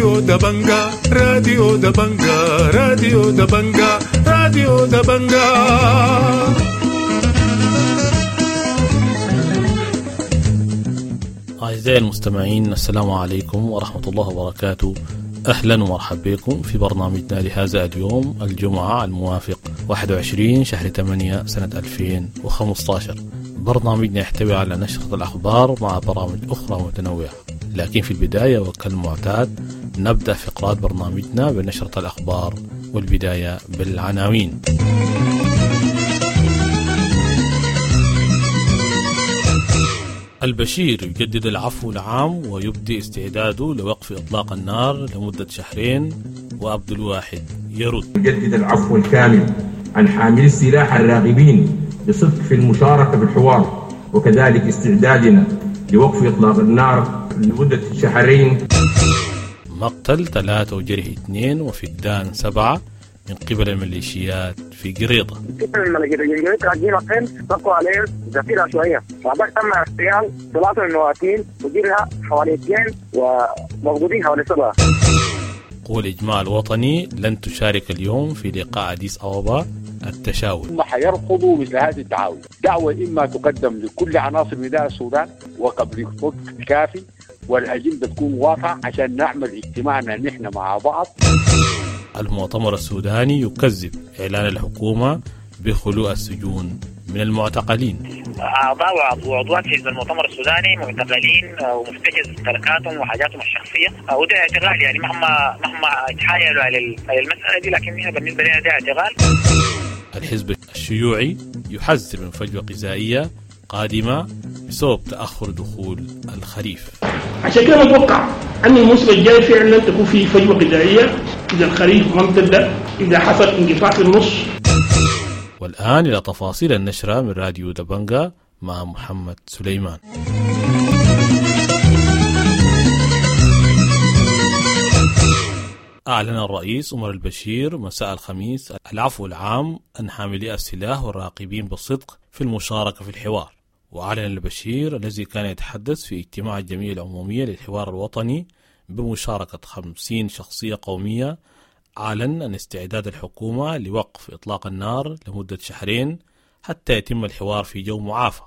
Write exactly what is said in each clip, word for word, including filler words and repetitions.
راديو دبنجا راديو دبنجا راديو دبنجا راديو دبنجا. أعزائي المستمعين، السلام عليكم ورحمة الله وبركاته. أهلا ومرحبا بكم في برنامجنا لهذا اليوم الجمعة الموافق واحد وعشرين شهر ثمانية سنة ألفين وخمسة عشر. برنامجنا يحتوي على نشرة الأخبار مع برامج أخرى متنوعة، لكن في البداية وكالمعتاد نبدأ فقرات برنامجنا بنشرة الأخبار، والبداية بالعناوين. البشير يجدد العفو العام ويبدي استعداده لوقف إطلاق النار لمدة شهرين، وعبد الواحد يرد. يجدد العفو الكامل عن حاملي السلاح الراغبين بصدق في المشاركة في الحوار، وكذلك استعدادنا لوقف إطلاق النار لمدة شهرين. مقتل ثلاثة وجرح اثنين وفقدان سبعة من قبل الميليشيات في قريضة. تم اغتيال ثلاثة من المواطنين وجرها حوالي اثنين وموجودين حوالي سبعة. قوى الإجماع الوطني لن تشارك اليوم في لقاء أديس أبابا التشاور. هم حيرفضوا مثل هذه الدعاوى، دعوة إما تقدم لكل عناصر نداء السودان وقبل وقت كافي، والأجندة تكون واضحة عشان نعمل اجتماعنا نحن مع بعض. المؤتمر السوداني يكذب إعلان الحكومة بخلو السجون من المعتقلين. أعضاء وعضوات حزب المؤتمر السوداني معتقلين ومحتجز ممتلكاتهم وحاجاتهم الشخصية، وده اعتقال، يعني مهما مهما تحايلوا على المسألة دي، لكن احنا بالنسبة لنا ده اعتقال. الحزب الشيوعي يحذر من فجوة غذائية قادمة بسبب تأخر دخول الخريف. عشان كده نتوقع أن الموسم الجاي فعلا تكون فيه فجوة غذائية إذا الخريف ما امتد، إذا حصل انقطاع في النص. والآن إلى تفاصيل النشرة من راديو دبنجا مع محمد سليمان. أعلن الرئيس عمر البشير مساء الخميس العفو العام عن حاملي السلاح والراقبين بالصدق في المشاركة في الحوار. وأعلن البشير الذي كان يتحدث في اجتماع الجمعية العمومية للحوار الوطني بمشاركة خمسين شخصية قومية، أعلن أن استعداد الحكومة لوقف إطلاق النار لمدة شهرين حتى يتم الحوار في جو معافى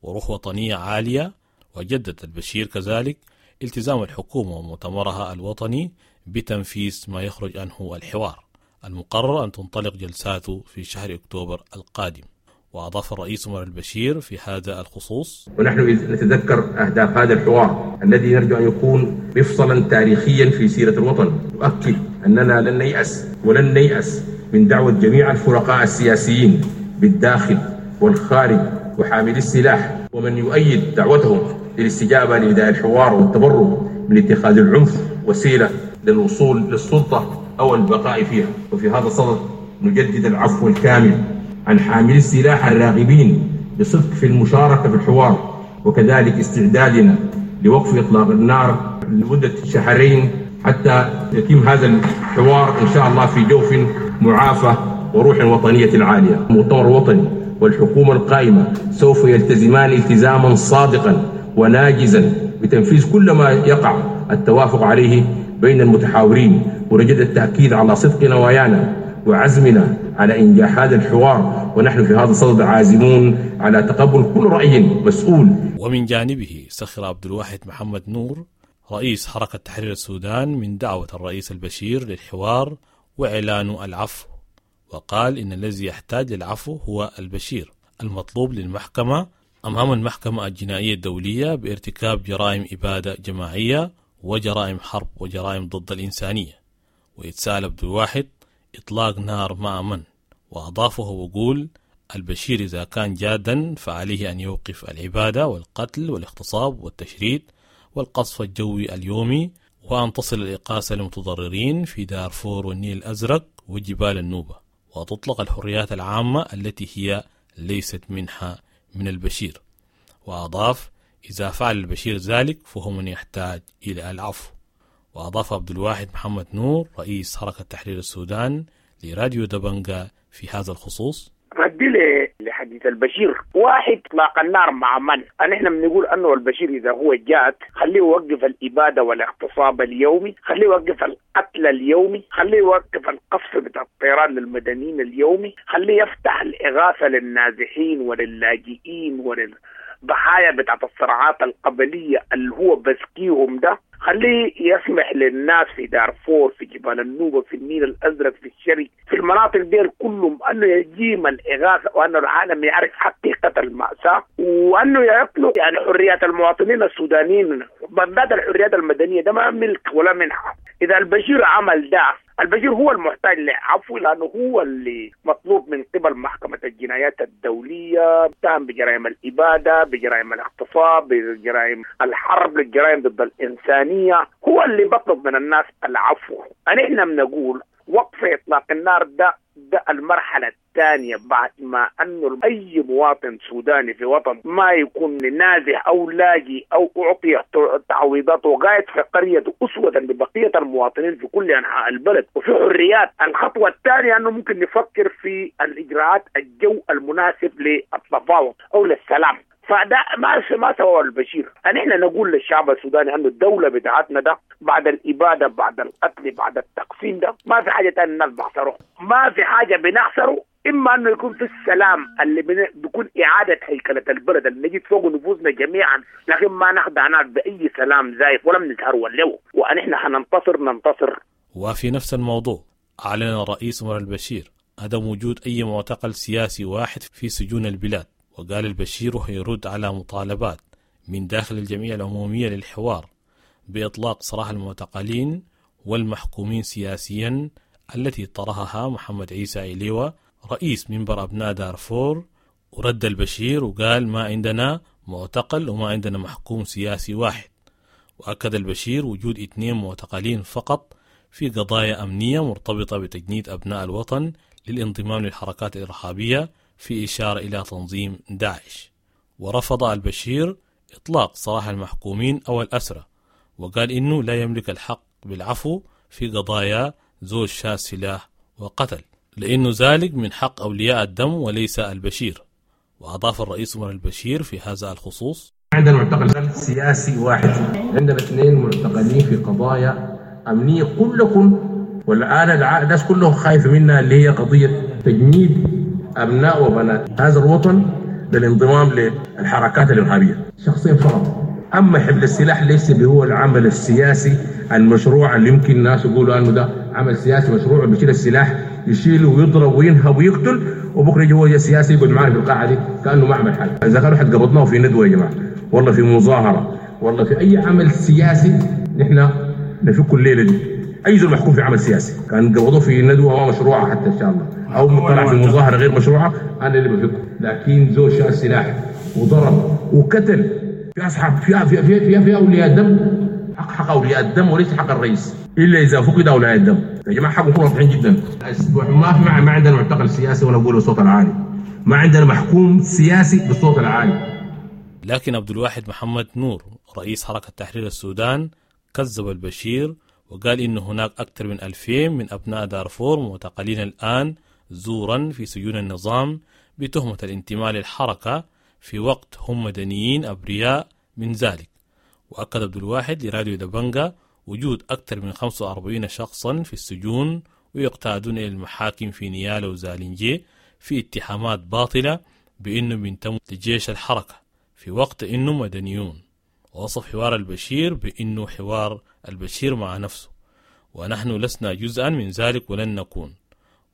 وروح وطنية عالية. وجدد البشير كذلك التزام الحكومة ومؤتمرها الوطني بتنفيذ ما يخرج عنه الحوار، المقرر أن تنطلق جلساته في شهر أكتوبر القادم. وأضاف الرئيس عمر البشير في هذا الخصوص: ونحن نتذكر أهداف هذا الحوار الذي نرجو أن يكون مفصلا تاريخيا في سيرة الوطن. نؤكد أننا لن نيأس ولن نيأس من دعوة جميع الفرقاء السياسيين بالداخل والخارج وحاملي السلاح ومن يؤيد دعوتهم للاستجابة لنداء الحوار والتبرؤ من اتخاذ العنف وسيلة للوصول للسلطة أو البقاء فيها. وفي هذا الصدد نجدد العفو الكامل عن حاملي السلاح الراغبين بصدق في المشاركة في الحوار، وكذلك استعدادنا لوقف إطلاق النار لمدة شهرين حتى يتم هذا الحوار إن شاء الله في جوف معافى وروح وطنية عالية. المؤتمر الوطني والحكومة القائمة سوف يلتزمان التزاما صادقا وناجزا بتنفيذ كل ما يقع التوافق عليه بين المتحاورين، ونجد التأكيد على صدق نوايانا وعزمنا على إنجاح هذا الحوار، ونحن في هذا الصدد عازمون على تقبل كل رأي مسؤول. ومن جانبه سخر عبد الواحد محمد نور رئيس حركة تحرير السودان من دعوة الرئيس البشير للحوار وإعلان العفو، وقال إن الذي يحتاج للعفو هو البشير المطلوب للمحكمة أمام المحكمة الجنائية الدولية بارتكاب جرائم إبادة جماعية وجرائم حرب وجرائم ضد الإنسانية. ويتساءل عبد الواحد: إطلاق نار مع من؟ وأضافه وقول: البشير إذا كان جادا فعليه أن يوقف العبادة والقتل والاغتصاب والتشريد والقصف الجوي اليومي، وأن تصل الإقاسة للمتضررين في دارفور والنيل الأزرق وجبال النوبة، وتطلق الحريات العامة التي هي ليست منحة من البشير. وأضاف: إذا فعل البشير ذلك فهو من يحتاج إلى العفو. وأضاف عبد الواحد محمد نور رئيس حركة تحرير السودان لراديو دبنجا في هذا الخصوص: ردي لحديث البشير، واحد اطلاق النار مع من؟ نحن بنقول انه البشير اذا هو جاد خليه يوقف الابادة والاغتصاب اليومي، خليه يوقف القتل اليومي، خليه يوقف القصف بتاع الطيران للمدنيين اليومي، خليه يفتح الاغاثة للنازحين وللاجئين وللضحايا بتاعت الصراعات القبلية اللي هو بسكيهم ده، خليه يسمح للناس في دارفور، في جبال النوبة، في النيل الأزرق، في الشرق، في المناطق دي كلهم أنه يجيم الإغاثة، وأنه العالم يعرف حقيقة المأساة، وأنه يطلق يعني حريات المواطنين السودانيين، بالذات الحريات المدنية، ده ما ملك ولا منحة. إذا البشير عمل ده، البشير هو المحتاج لعفو، لأنه هو اللي مطلوب من قبل محكمة الجنايات الدولية، اتهم بجرائم الإبادة، بجرائم الاغتصاب، بجرائم الحرب، للجرائم ضد الإنسانية، هو اللي بطلب من الناس العفو. نحن بنقول وقف إطلاق النار ده ده المرحلة الثانية، بعد ما أنه أي مواطن سوداني في وطن ما يكون نازح أو لاجئ أو أعطي تعويضات وقاعد في قرية أسوة ببقية المواطنين في كل أنحاء البلد وفي حريات. الخطوة الثانية أنه ممكن نفكر في الإجراءات الجو المناسب للتفاوض أو للسلام. فده ما ما سواه البشير. نحن نقول للشعب السوداني انه الدولة بتاعتنا ده بعد الابادة، بعد القتل، بعد التقسيم ده ما في حاجة ثانية الناس بخسره، ما في حاجة بنخسره، اما انه يكون في السلام اللي بيكون اعاده هيكله البلد اللي نجد فوق نفوسنا جميعا، لكن ما نخدع ناس باي سلام زايف ولا بنسهر ولا، ونحن حننتصر ننتصر. وفي نفس الموضوع اعلن الرئيس عمر البشير عدم وجود اي معتقل سياسي واحد في سجون البلاد، وقال البشير يرد على مطالبات من داخل الجمعية العمومية للحوار بإطلاق سراح المعتقلين والمحكومين سياسيا التي طرحها محمد عيسى إليوة رئيس منبر أبناء دارفور. ورد البشير وقال ما عندنا معتقل وما عندنا محكوم سياسي واحد. وأكد البشير وجود اثنين معتقلين فقط في قضايا أمنية مرتبطة بتجنيد أبناء الوطن للانضمام للحركات الإرهابية في إشارة إلى تنظيم داعش. ورفض البشير إطلاق سراح المحكومين أو الأسرى، وقال إنه لا يملك الحق بالعفو في قضايا زوج شاس سلاح وقتل، لأنه ذلك من حق أولياء الدم وليس البشير. وأضاف الرئيس عمر البشير في هذا الخصوص: عندنا معتقل سياسي واحد، عندنا اثنين معتقلين في قضايا أمنية كلكم، والآن الناس كلهم خايفة منها اللي هي قضية تجنيد أبناء وبنات هذا الوطن للانضمام للحركات الإرهابية، شخصين فقط. أما حمل السلاح ليس هو العمل السياسي المشروع اللي يمكن الناس يقولوا أنه ده عمل سياسي مشروع، بيشيل السلاح يشيله ويضرب وينهب ويقتل، وبكره يجي هو سياسي يقعد معنا في القاعة دي كأنه ما عمل حاجة. إذا كانوا حد قبضناه في ندوة يا جماعة، والله في مظاهرة، والله في أي عمل سياسي، نحن نفك الليلة دي. أي زول محكوم في عمل سياسي كان قبضوه في ندوة ما مشروعة حتى إن شاء الله، أو طلع في مظاهرة غير مشروعة، أنا اللي بفكه. لكن زول شال سلاح وضرب وقتل في أصحاب في في في في, في أولياء الدم، حق حق أولياء الدم وليس حق الرئيس، إلا إذا فقد أولياء الدم. يا جماعة حقهم يكونوا واضحين جدا. ما ما عندنا معتقل سياسي ولا نقول بالصوت العالي، ما عندنا محكوم سياسي بالصوت العالي. لكن عبد الواحد محمد نور رئيس حركة تحرير السودان كذب البشير وقال إن هناك أكثر من ألفين من أبناء دارفور معتقلين الآن زورا في سجون النظام بتهمة الانتماء للحركة في وقت هم مدنيين أبرياء من ذلك. وأكد عبد الواحد لراديو دبنجا وجود أكثر من خمسة وأربعين شخصا في السجون ويقتادون إلى المحاكم في نيالا وزالنجي في اتهامات باطلة بأنه بينتموا لجيش الحركة في وقت إنه مدنيون. ووصف حوار البشير بأنه حوار البشير مع نفسه، ونحن لسنا جزءا من ذلك ولن نكون.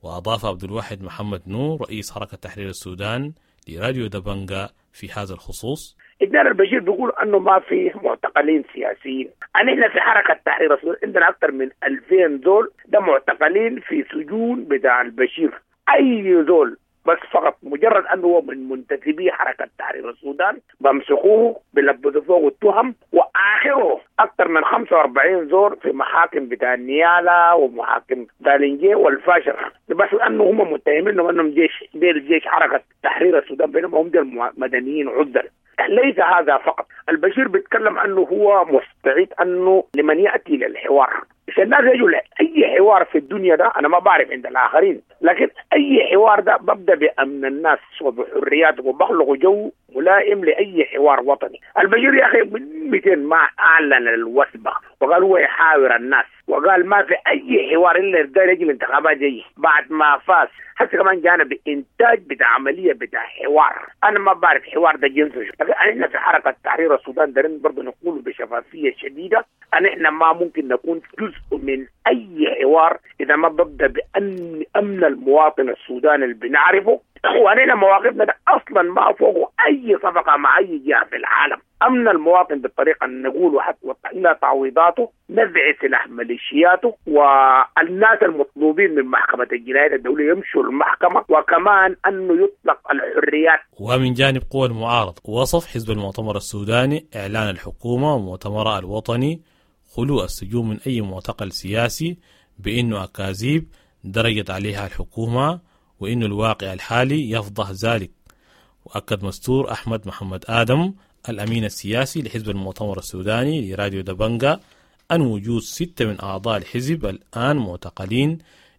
وأضاف عبد الواحد محمد نور رئيس حركة تحرير السودان لراديو دبنجا في هذا الخصوص: إدار البشير بيقول أنه ما في معتقلين سياسيين. نحن في حركة تحرير السودان عندنا أكثر من ألفين زول ده معتقلين في سجون بتاع البشير. أي زول بس فقط مجرد أنه هو من منتسبي حركة تحرير السودان بمسكوه بلبسوا فوق التهم، وآخره أكثر من خمسة وأربعين زور في محاكم بتاع النيالة ومحاكم دالنجي والفاشر، بس أنه هم متهمين أنهم جيش ديل جيش حركة تحرير السودان، بينما هم ديل مدنيين عزل. ليس هذا فقط، البشير بيتكلم أنه هو مستعد أنه لمن يأتي للحوار، عشان الناس يجوا لأي حوار في الدنيا ده. أنا ما بعرف عند الآخرين، لكن اي حوار ده ببدا بامن الناس وبحرياتهم وبخلق جو ملائم لاي حوار وطني. البشير يا اخي من مئتين ما اعلن الوثبه وقال هو يحاور الناس، وقال ما في اي حوار الا ده يجي الانتخابات جاي بعد ما فاز. حتى كمان جانا بانتاج بتاع عملية بتاع حوار، انا ما بعرف حوار ده جنسه، لكن احنا في حركة تحرير السودان دارين برضه نقول بشفافيه شديدة ان احنا ما ممكن نكون جزء من اي حوار اذا ما ببدا بان امن المواطن السوداني اللي بنعرفه، واننا مواقفنا ده اصلا ما فوقه اي صفقة مع اي جهة في العالم. امن المواطن بالطريقة اللي نقوله حتى الى تعويضاته، نزع سلاح ميليشياته، والناس المطلوبين من محكمة الجنايات الدولية يمشوا المحكمة، وكمان انه يطلق الحريات. ومن جانب قوى المعارضة، وصف حزب المؤتمر السوداني اعلان الحكومة ومؤتمرها الوطني خلو السجون من اي معتقل سياسي بانه اكاذيب درجت عليها الحكومة، وإن الواقع الحالي يفضح ذلك. وأكد مستور أحمد محمد آدم الأمين السياسي لحزب المؤتمر السوداني لراديو دبنجا أن وجود ستة من أعضاء الحزب الآن معتقلين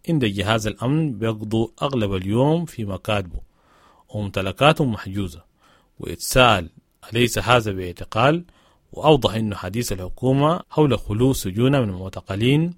عند جهاز الأمن بيقضوا أغلب اليوم في مكاتبه وممتلكاتهم محجوزة. ويتساءل أليس هذا باعتقال؟ وأوضح أن حديث الحكومة حول خلو سجون من المعتقلين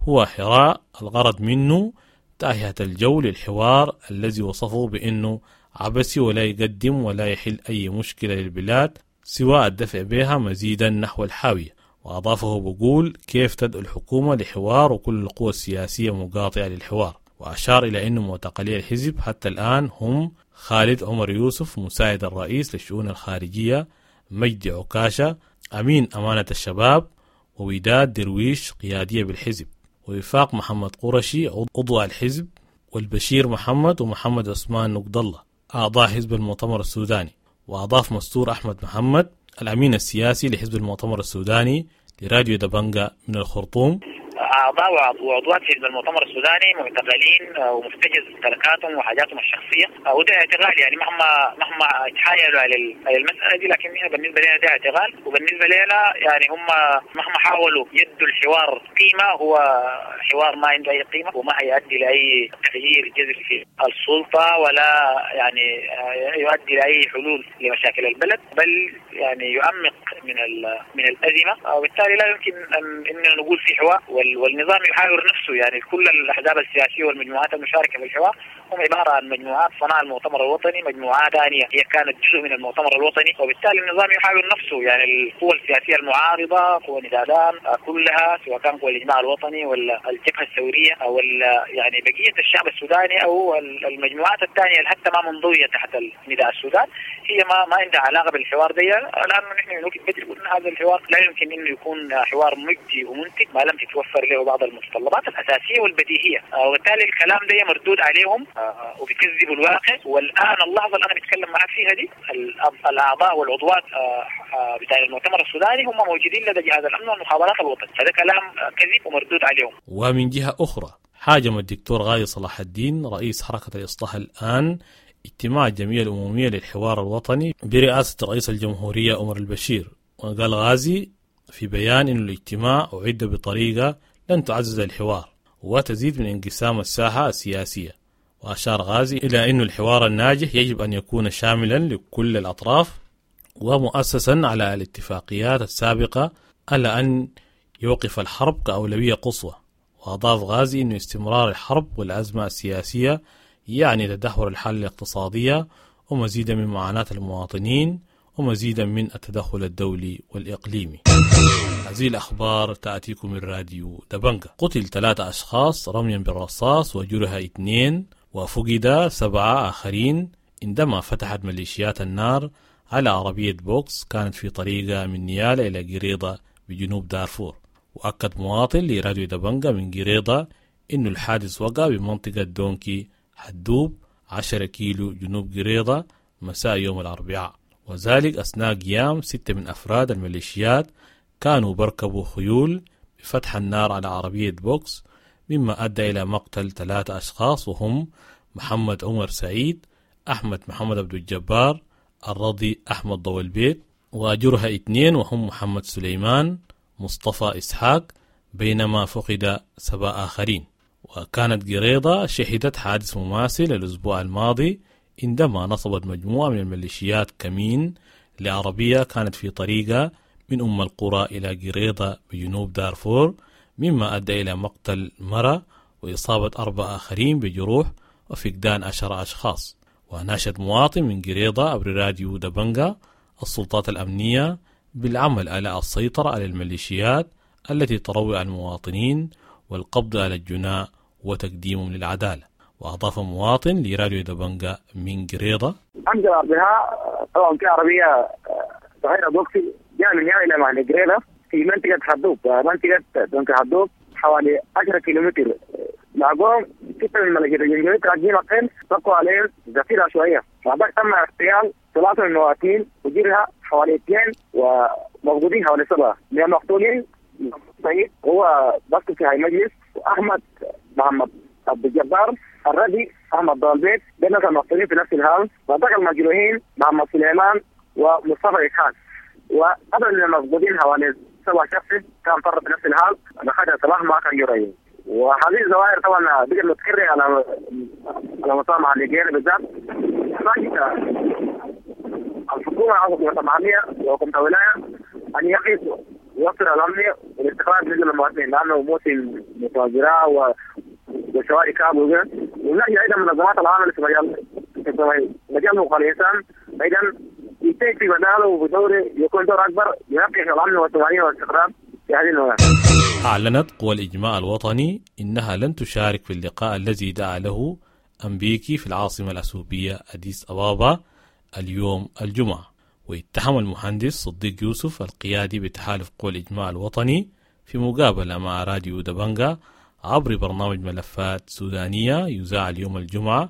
هو حراء الغرض منه تأهية الجو للحوار الذي وصفه بأنه عبثي ولا يقدم ولا يحل أي مشكلة للبلاد سوى الدفع بها مزيدا نحو الحاوية. وأضافه بقول كيف تدعو الحكومة لحوار وكل القوى السياسية مقاطعة للحوار. وأشار إلى أن معتقلي الحزب حتى الآن هم خالد عمر يوسف مساعد الرئيس للشؤون الخارجية، مجدي عكاشة أمين أمانة الشباب، ووداد درويش قيادية بالحزب، ووفاق محمد قرشي عضو الحزب، والبشير محمد ومحمد عثمان نقد الله أعضاء حزب المؤتمر السوداني. وأضاف مستور أحمد محمد الأمين السياسي لحزب المؤتمر السوداني لراديو دبنجا من الخرطوم: أعضاء وعضوات حزب المؤتمر السوداني معتقلين ومحتجز ممتلكاتهم وحاجاتهم الشخصية، وده اعتقال يعني مهما مهما تحايلوا على المسألة دي، لكن احنا بالنسبة لنا ده اعتقال، وبالنسبة لنا يعني هم مهما حاولوا يدوا الحوار قيمة هو حوار ما عنده أي قيمة وما هيؤدي لأي تغيير جذري في السلطة ولا يعني يؤدي لأي حلول لمشاكل البلد، بل يعني يعمق من من الأزمة، وبالتالي لا يمكن أن نقول في حوار. والنظام يحاور نفسه، يعني كل الأحزاب السياسية والمجموعات المشاركة في الحوار هم عبارة عن مجموعات صنع المؤتمر الوطني، مجموعات ثانية هي كانت جزء من المؤتمر الوطني، وبالتالي النظام يحاور نفسه. يعني القوى السياسية المعارضة، قوى ندادان كلها، سواء كان قوى الإجماع الوطني ولا الجبهة الثورية أو يعني بقية الشعب السوداني أو المجموعات الثانية اللي حتى ما منضوية تحت نداء السودان، هي ما ما عندها علاقة بالحوار ده، لأنه نحن من وقت بدري قلنا هذا الحوار لا يمكن إنه يكون حوار مجدي ومنتج ما لم تتوفر له بعض المتطلبات الأساسية والبديهية، وبالتالي الكلام ده مردود عليهم وبيكذبوا الواقع. والآن اللحظة اللي أنا بتكلم معك فيها دي الأعضاء والعضوات بتاع المؤتمر السوداني هم موجودين لدى جهاز الأمن والمخابرات الوطني، فده كلام كذب ومردود عليهم. ومن جهة أخرى حاجم الدكتور غازي صلاح الدين رئيس حركة الإصلاح الآن اجتماع الجمعية العمومية للحوار الوطني برئاسة رئيس الجمهورية عمر البشير. وقال غازي في بيان أن الاجتماع أعد بطريقة لن تعزز الحوار وتزيد من انقسام الساحة السياسية. وأشار غازي إلى أن الحوار الناجح يجب أن يكون شاملا لكل الأطراف ومؤسسا على الاتفاقيات السابقة، على أن يوقف الحرب كأولوية قصوى. وأضاف غازي أن استمرار الحرب والأزمة السياسية يعني تدهور الحالة الاقتصادية ومزيدا من معاناة المواطنين ومزيدا من التدخل الدولي والإقليمي. هذه الأخبار تأتيكم من راديو دبنجا. قتل ثلاثة أشخاص رميا بالرصاص وجرح اثنين وفقد سبعة آخرين عندما فتحت ميليشيات النار على عربية بوكس كانت في طريقة من نيالة إلى قريضة بجنوب دارفور. وأكد مواطن لراديو دبنجا من قريضة إنه الحادث وقع بمنطقة دونكي حدوب عشرة كيلو جنوب قريضة مساء يوم الأربعاء، وذلك أثناء قيام ستة من أفراد الميليشيات كانوا بركبوا خيول بفتح النار على عربية بوكس، مما أدى إلى مقتل ثلاثة أشخاص وهم محمد عمر سعيد، أحمد محمد عبد الجبار، الرضي أحمد ضوء البيت، وجرها اثنين وهم محمد سليمان، مصطفى إسحاق، بينما فقد سبع آخرين. وكانت قريضة شهدت حادث مماثل الأسبوع الماضي عندما نصبت مجموعة من الميليشيات كمين لعربية كانت في طريقة من أم القرى إلى قريضة بجنوب دارفور، مما أدى إلى مقتل مرة وإصابة أربعة آخرين بجروح وفقدان عشرة أشخاص. وناشد مواطن من قريضة عبر راديو دبنجا السلطات الأمنية بالعمل على السيطرة على الميليشيات التي تروع المواطنين والقبض على الجناء وتقديمهم للعدالة. وأضاف مواطن لراديو دبنجا من قريضة: أمس الأربعاء طبعا في عربية صغيرة بوكسي جاء من هنا إلى محل قريضة في منطقة حدوب، منطقة دونك حدوب حوالي عشرة كيلومتر. لاقوهم ستة من الملاجئ الجنجويد راكبين الخيل، طلقوا عليهم ذخيرة عشوائية. بعد تم اغتيال ثلاثة من المواطنين وجرها حوالي اثنين ومفقودين حوالي سبعة من المقتولين. سعيد هو بس في هاي مجلس، وأحمد محمد عبد الجبار الردي، أحمد ضالبيت، ده ناس المقتولين في نفس الهام. بعد المجروحين محمد سليمان ومصطفى إسحاق. وقبل المفقودين حوالي سبعة شخص كان فر في نفس الحال، لحد صلاح ما كان يرين. وهذه الظواهر طبعا بقت متكررة على على مستوى محليين بالذات. الحكومة أو الحكومة المحلية وحكومة الولاية أن يقيسوا ويوفر الأمن والاستقرار بالنسبة للمواطنين، لأنه موسم متوازرة و وشوارع كاب وغيره. ونلاقي أيضا منظمات العمل في مجال في مجال حقوق الإنسان أيضا يتيح في مجاله وبدوره يكون دور أكبر ينقش الأمن والطمأنينة والاستقرار في هذه المناطق. أعلنت قوى الإجماع الوطني إنها لن تشارك في اللقاء الذي دعا له أمبيكي في العاصمة الأثيوبية أديس أبابا اليوم الجمعة. واتهم المهندس صديق يوسف القيادي بتحالف قوى الإجماع الوطني في مقابلة مع راديو دبنجا عبر برنامج ملفات سودانية يذاع اليوم الجمعة،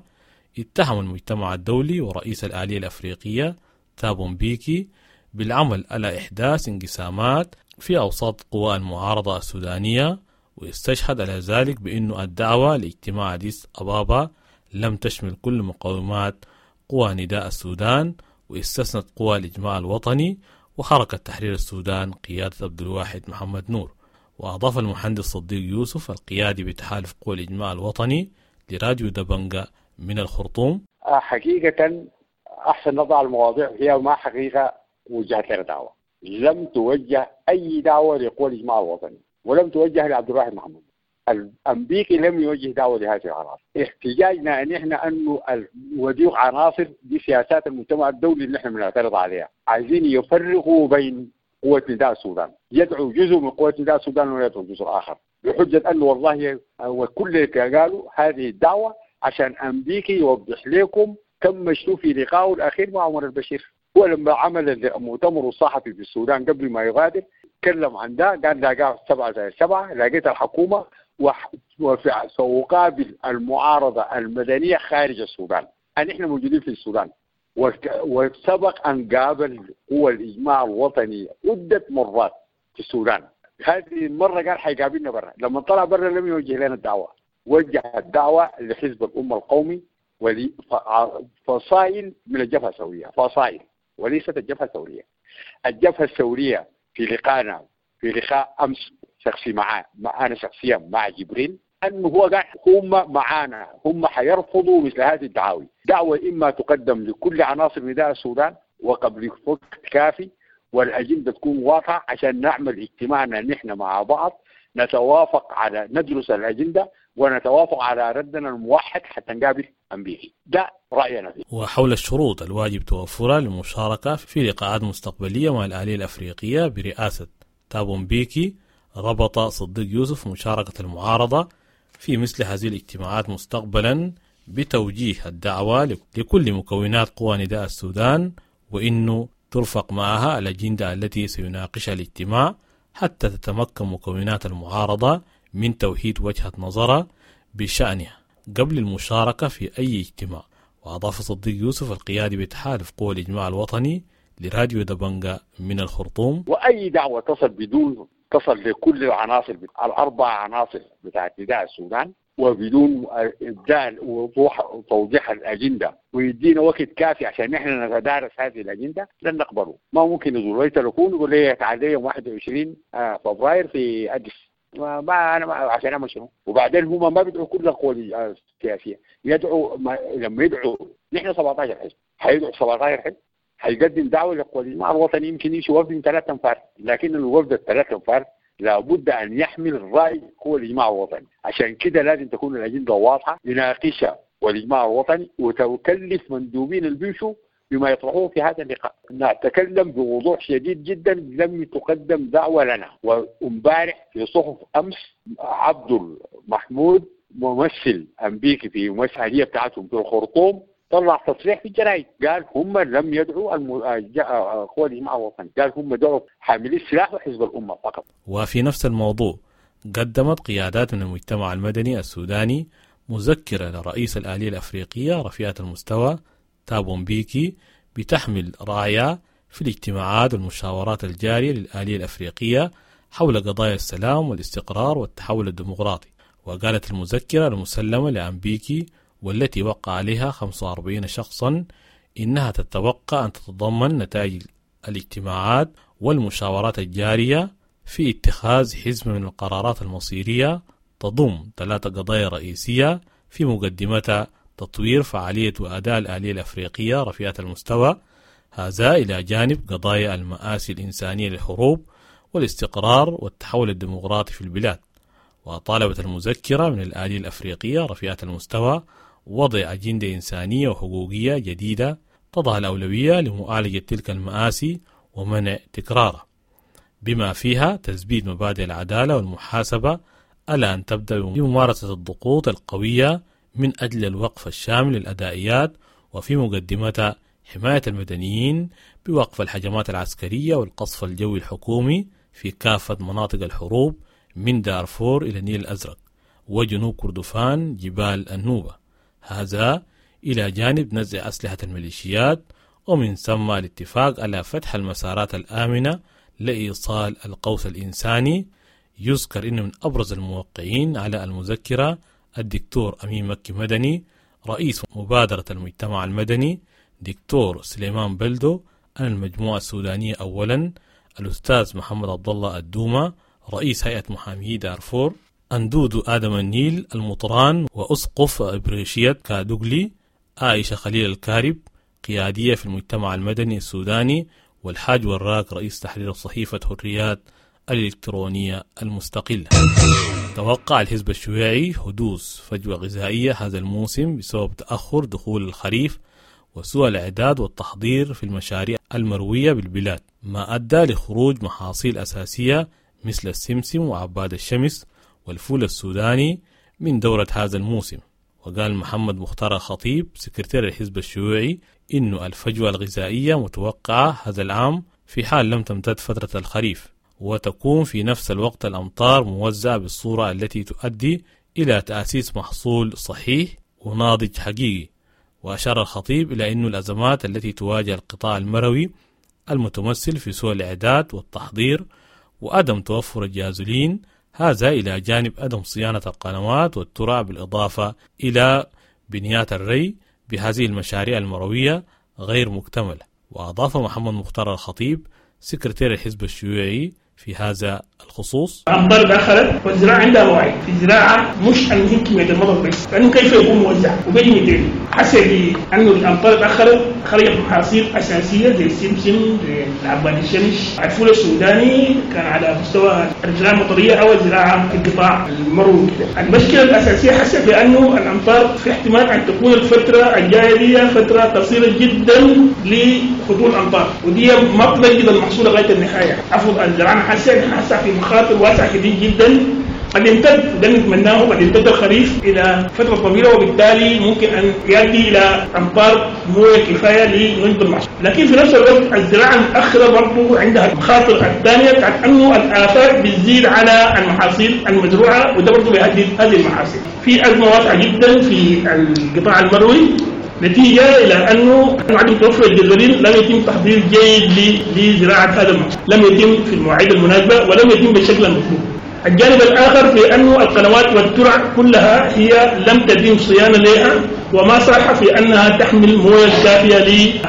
اتهم المجتمع الدولي ورئيس الآلية الأفريقية تابو مبيكي بالعمل على إحداث انقسامات في أوساط قوى المعارضة السودانية، واستشهد على ذلك بأن الدعوة لاجتماع أديس أبابا لم تشمل كل مقومات قوى نداء السودان، واستثنت قوى الإجماع الوطني وحركة تحرير السودان قيادة عبد الواحد محمد نور. وأضاف المهندس صديق يوسف القيادي بتحالف قوى الإجماع الوطني لراديو دبنجا من الخرطوم: حقيقة أحسن نضع المواضيع هي ما حقيقة وجهت لنا دعوة، لم توجه أي دعوة لقوى الإجماع الوطني ولم توجه لعبد الواحد محمد. الأمريكي لم يوجه دعوة لهذه العناصر. احتجاجنا أن إحنا أنه وديق عناصر دي سياسات المجتمع الدولي اللي إحنا بنعترض عليها، عايزين يفرقوا بين قوة نداء السودان، يدعو جزء من قوة نداء السودان ويدعو جزء آخر بحجة أنه والله وكل اللي قالوا هذه الدعوة عشان أمريكي يوضح لكم كم مشوا في لقائه الأخير مع عمر البشير. هو لما عمل المؤتمر الصحفي في السودان قبل ما يغادر تكلم عن ده، قال لاقاه سبعة زي سبعة، لقيت الحكومة وسأقابل المعارضة المدنية خارج السودان. أن إحنا موجودين في السودان، وسبق أن قابل قوى الإجماع الوطني عدة مرات في السودان. هذه المرة قال حيقابلنا برا، لما طلع برا لم يوجه لنا الدعوة، وجه الدعوة لحزب الأمة القومي ولفصائل من الجبهة الثورية، فصائل وليست الجبهة الثورية. الجبهة الثورية في لقائنا في لقاء أمس شخصي معاه، مع أنا شخصيا مع جبريل، أنه هو قال هم معانا، هم حيرفضوا مثل هذه الدعاوي. دعوة إما تقدم لكل عناصر نداء السودان وقبل وقت كافي، والأجندة تكون واضحة عشان نعمل اجتماعنا نحن مع بعض، نتوافق على ندرس الأجندة ونتوافق على ردنا الموحد حتى نقابل أمبيكي. ده رأينا فيه. وحول الشروط الواجب توفرها للمشاركة في لقاءات مستقبلية مع الآلية الأفريقية برئاسة تابو مبيكي، ربط صديق يوسف مشاركة المعارضة في مثل هذه الاجتماعات مستقبلا بتوجيه الدعوة لكل مكونات قوى نداء السودان، وإنه ترفق معها الأجندة التي سيناقشها الاجتماع حتى تتمكن مكونات المعارضة من توحيد وجهة نظرها بشأنها قبل المشاركة في أي اجتماع. وأضاف صديق يوسف القيادي بتحالف قوى الإجماع الوطني لراديو دبنجا من الخرطوم: وأي دعوة تصل بدون تصل لكل العناصر الأربع عناصر بتاعت نداء السودان وبدون إبدال ووضوح وتوضيح الأجندة ويدينا وقت كافي عشان نحن نتدارس هذه الأجندة لن نقبله. ما ممكن يزور تلفون يقول لي تعال يوم واحد وعشرين فبراير في أديس، ما, ما انا ما عشان اعمل شنو؟ وبعدين هم ما بيدعوا كل القوى السياسية، يدعوا ما لما يدعوا نحن سبعتاشر حزب، حيدعوا سبعتاشر حزب، حيقدم دعوه للقوى الاجماع الوطني يمكن يمشي وفد من ثلاث انفار، لكن الوفد الثلاث انفار لابد ان يحمل راي قوى الاجماع الوطني، عشان كده لازم تكون الاجندة واضحة يناقشها والاجماع الوطني وتكلف مندوبين البيشو بما يطرحوه في هذا اللقاء. نتكلم بوضوح شديد جدا، لم تقدم دعوة لنا. وامبارح في صحف أمس عبد المحمود ممثل أمريكي في ممثلية بتاعتهم في الخرطوم طلع تصريح في الجرايد، قال هم لم يدعوا الم... قوى الاجماع الوطني، قال هم دعوا حاملي السلاح وحزب الأمة فقط. وفي نفس الموضوع قدمت قيادات من المجتمع المدني السوداني مذكرة لرئيس الآلية الأفريقية رفيعة المستوى تابو مبيكي بتحمل راية في الاجتماعات والمشاورات الجارية للآلية الأفريقية حول قضايا السلام والاستقرار والتحول الديمقراطي. وقالت المذكرة المسلمة لأمبيكي والتي وقع عليها خمسة وأربعين شخصا إنها تتوقع أن تتضمن نتائج الاجتماعات والمشاورات الجارية في اتخاذ حزمة من القرارات المصيرية تضم ثلاث قضايا رئيسية في مقدمتها تطوير فعالية وأداء الآلية الأفريقية رفيعة المستوى، هذا إلى جانب قضايا المآسي الإنسانية للحروب والاستقرار والتحول الديمقراطي في البلاد. وطالبت المذكرة من الآلية الأفريقية رفيعة المستوى وضع أجندة إنسانية وحقوقية جديدة تضع الأولوية لمعالجة تلك المآسي ومنع تكرارها، بما فيها تثبيت مبادئ العدالة والمحاسبة، ألا أن تبدأ بممارسة الضغوط القوية من أجل الوقف الشامل للأدائيات، وفي مقدمتها حماية المدنيين بوقف الهجمات العسكرية والقصف الجوي الحكومي في كافة مناطق الحروب من دارفور إلى النيل الأزرق وجنوب كردفان جبال النوبة، هذا إلى جانب نزع أسلحة الميليشيات، ومن ثم الاتفاق على فتح المسارات الآمنة لإيصال القوس الإنساني. يذكر أنه من أبرز الموقعين على المذكرة الدكتور أمين مكي مدني رئيس مبادرة المجتمع المدني، دكتور سليمان بلدو عن المجموعة السودانية أولا، الأستاذ محمد عبد الله الدومة رئيس هيئة محامي دارفور، أندودو آدم النيل المطران وأسقف إبريشية كادوغلي، عائشة خليل الكارب قيادية في المجتمع المدني السوداني، والحاج وراك رئيس تحرير صحيفة حريات الإلكترونية المستقلة. توقع الحزب الشيوعي حدوث فجوة غذائية هذا الموسم بسبب تأخر دخول الخريف وسوء الإعداد والتحضير في المشاريع المروية بالبلاد، ما أدى لخروج محاصيل أساسية مثل السمسم وعباد الشمس والفول السوداني من دورة هذا الموسم. وقال محمد مختار الخطيب سكرتير الحزب الشيوعي إنه الفجوة الغذائية متوقعة هذا العام في حال لم تمتد فترة الخريف، وتكون في نفس الوقت الأمطار موزعة بالصورة التي تؤدي إلى تأسيس محصول صحيح وناضج حقيقي. وأشار الخطيب إلى أن الأزمات التي تواجه القطاع المروي المتمثل في سوء الإعداد والتحضير وعدم توفر الجازولين، هذا إلى جانب عدم صيانة القنوات والترع بالإضافة إلى بنيات الري بهذه المشاريع المروية غير مكتملة. وأضاف محمد مختار الخطيب سكرتير الحزب الشيوعي في هذا الخصوص: الأمطار تأخرت والزراعة عندها مواعيد، في الزراعة مش المهم كمية المطر بس، لأنه كيف يكون موزع وبيجي متين. حسب أنه الأمطار تأخرت خرجت محاصيل أساسية زي السمسم، زي عباد الشمس، الفول السوداني كان على مستوى الزراعة المطرية أو الزراعة في القطاع المروي كده. المشكلة الأساسية حسب بأنه الأمطار في احتمال أن تكون الفترة الجاية دي فترة قصيرة جدا لخطوط الأمطار، ودي ما بتجد المحصول لغاية النهاية. عفوا الزراعة حسب حسب في مخاطر واسعة كبير جدا قد يمتد، ده نتمناه، قد يمتد الخريف إلى فترة طويلة، وبالتالي ممكن أن يؤدي إلى أمطار موية كفاية لنجد المحصول. لكن في نفس الوقت الزراعة المتأخرة برضه عندها المخاطر الثانية بتاعت أنه الآفات بتزيد على المحاصيل المزروعة، وده برضه بيهدد هذه المحاصيل. في أزمة واسعة جدا في القطاع المروي نتيجة إلى أنه عدم توفر الجزرين، لم يتم تحضير جيد لزراعة هذا المحصول، لم يتم في المواعيد المناسبة ولم يتم بالشكل المطلوب. الجانب الآخر في أنه القنوات والترع كلها هي لم تتم صيانة لها وما صالحة في أنها تحمل موية كافية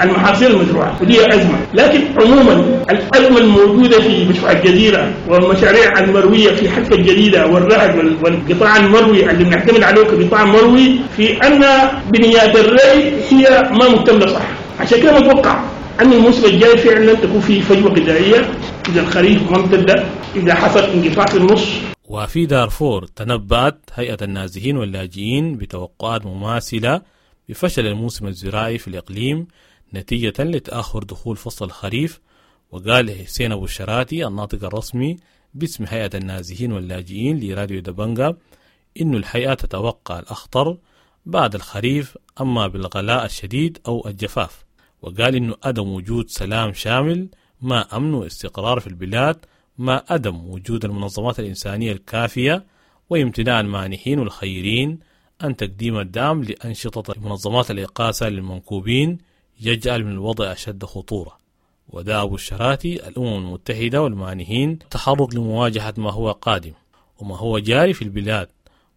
للمحاصيل المزروعة، ودي أزمة. لكن عموما الأزمة الأزمة الموجودة في مشروع الجزيرة والمشاريع المروية في حلفا الجديدة والرهد والقطاع المروي اللي بنعتمد عليه كقطاع مروي، في أن بنيات الري هي ما مكتملة صح. عشان كده متوقع أن الموسم الجاي فعلا تكون في فجوة غذائية إذا الخريف ما امتد، إذا حصل انقطاع في النص. وفي دارفور تنبأت هيئة النازحين واللاجئين بتوقعات مماثلة بفشل الموسم الزراعي في الإقليم نتيجة لتأخر دخول فصل الخريف. وقال حسين أبو الشراتي الناطق الرسمي باسم هيئة النازحين واللاجئين لراديو دبنجا إن الهيئة تتوقع الأخطر بعد الخريف، أما بالغلاء الشديد أو الجفاف. وقال إنه عدم وجود سلام شامل ما أمن واستقرار في البلاد، ما عدم وجود المنظمات الإنسانية الكافية، وامتناع المانحين والخيرين عن تقديم الدعم لأنشطة منظمات الإغاثة للمنكوبين يجعل من الوضع أشد خطورة. ودعا أبو الشراتي الأمم المتحدة والمانحين التحرك لمواجهة ما هو قادم وما هو جاري في البلاد.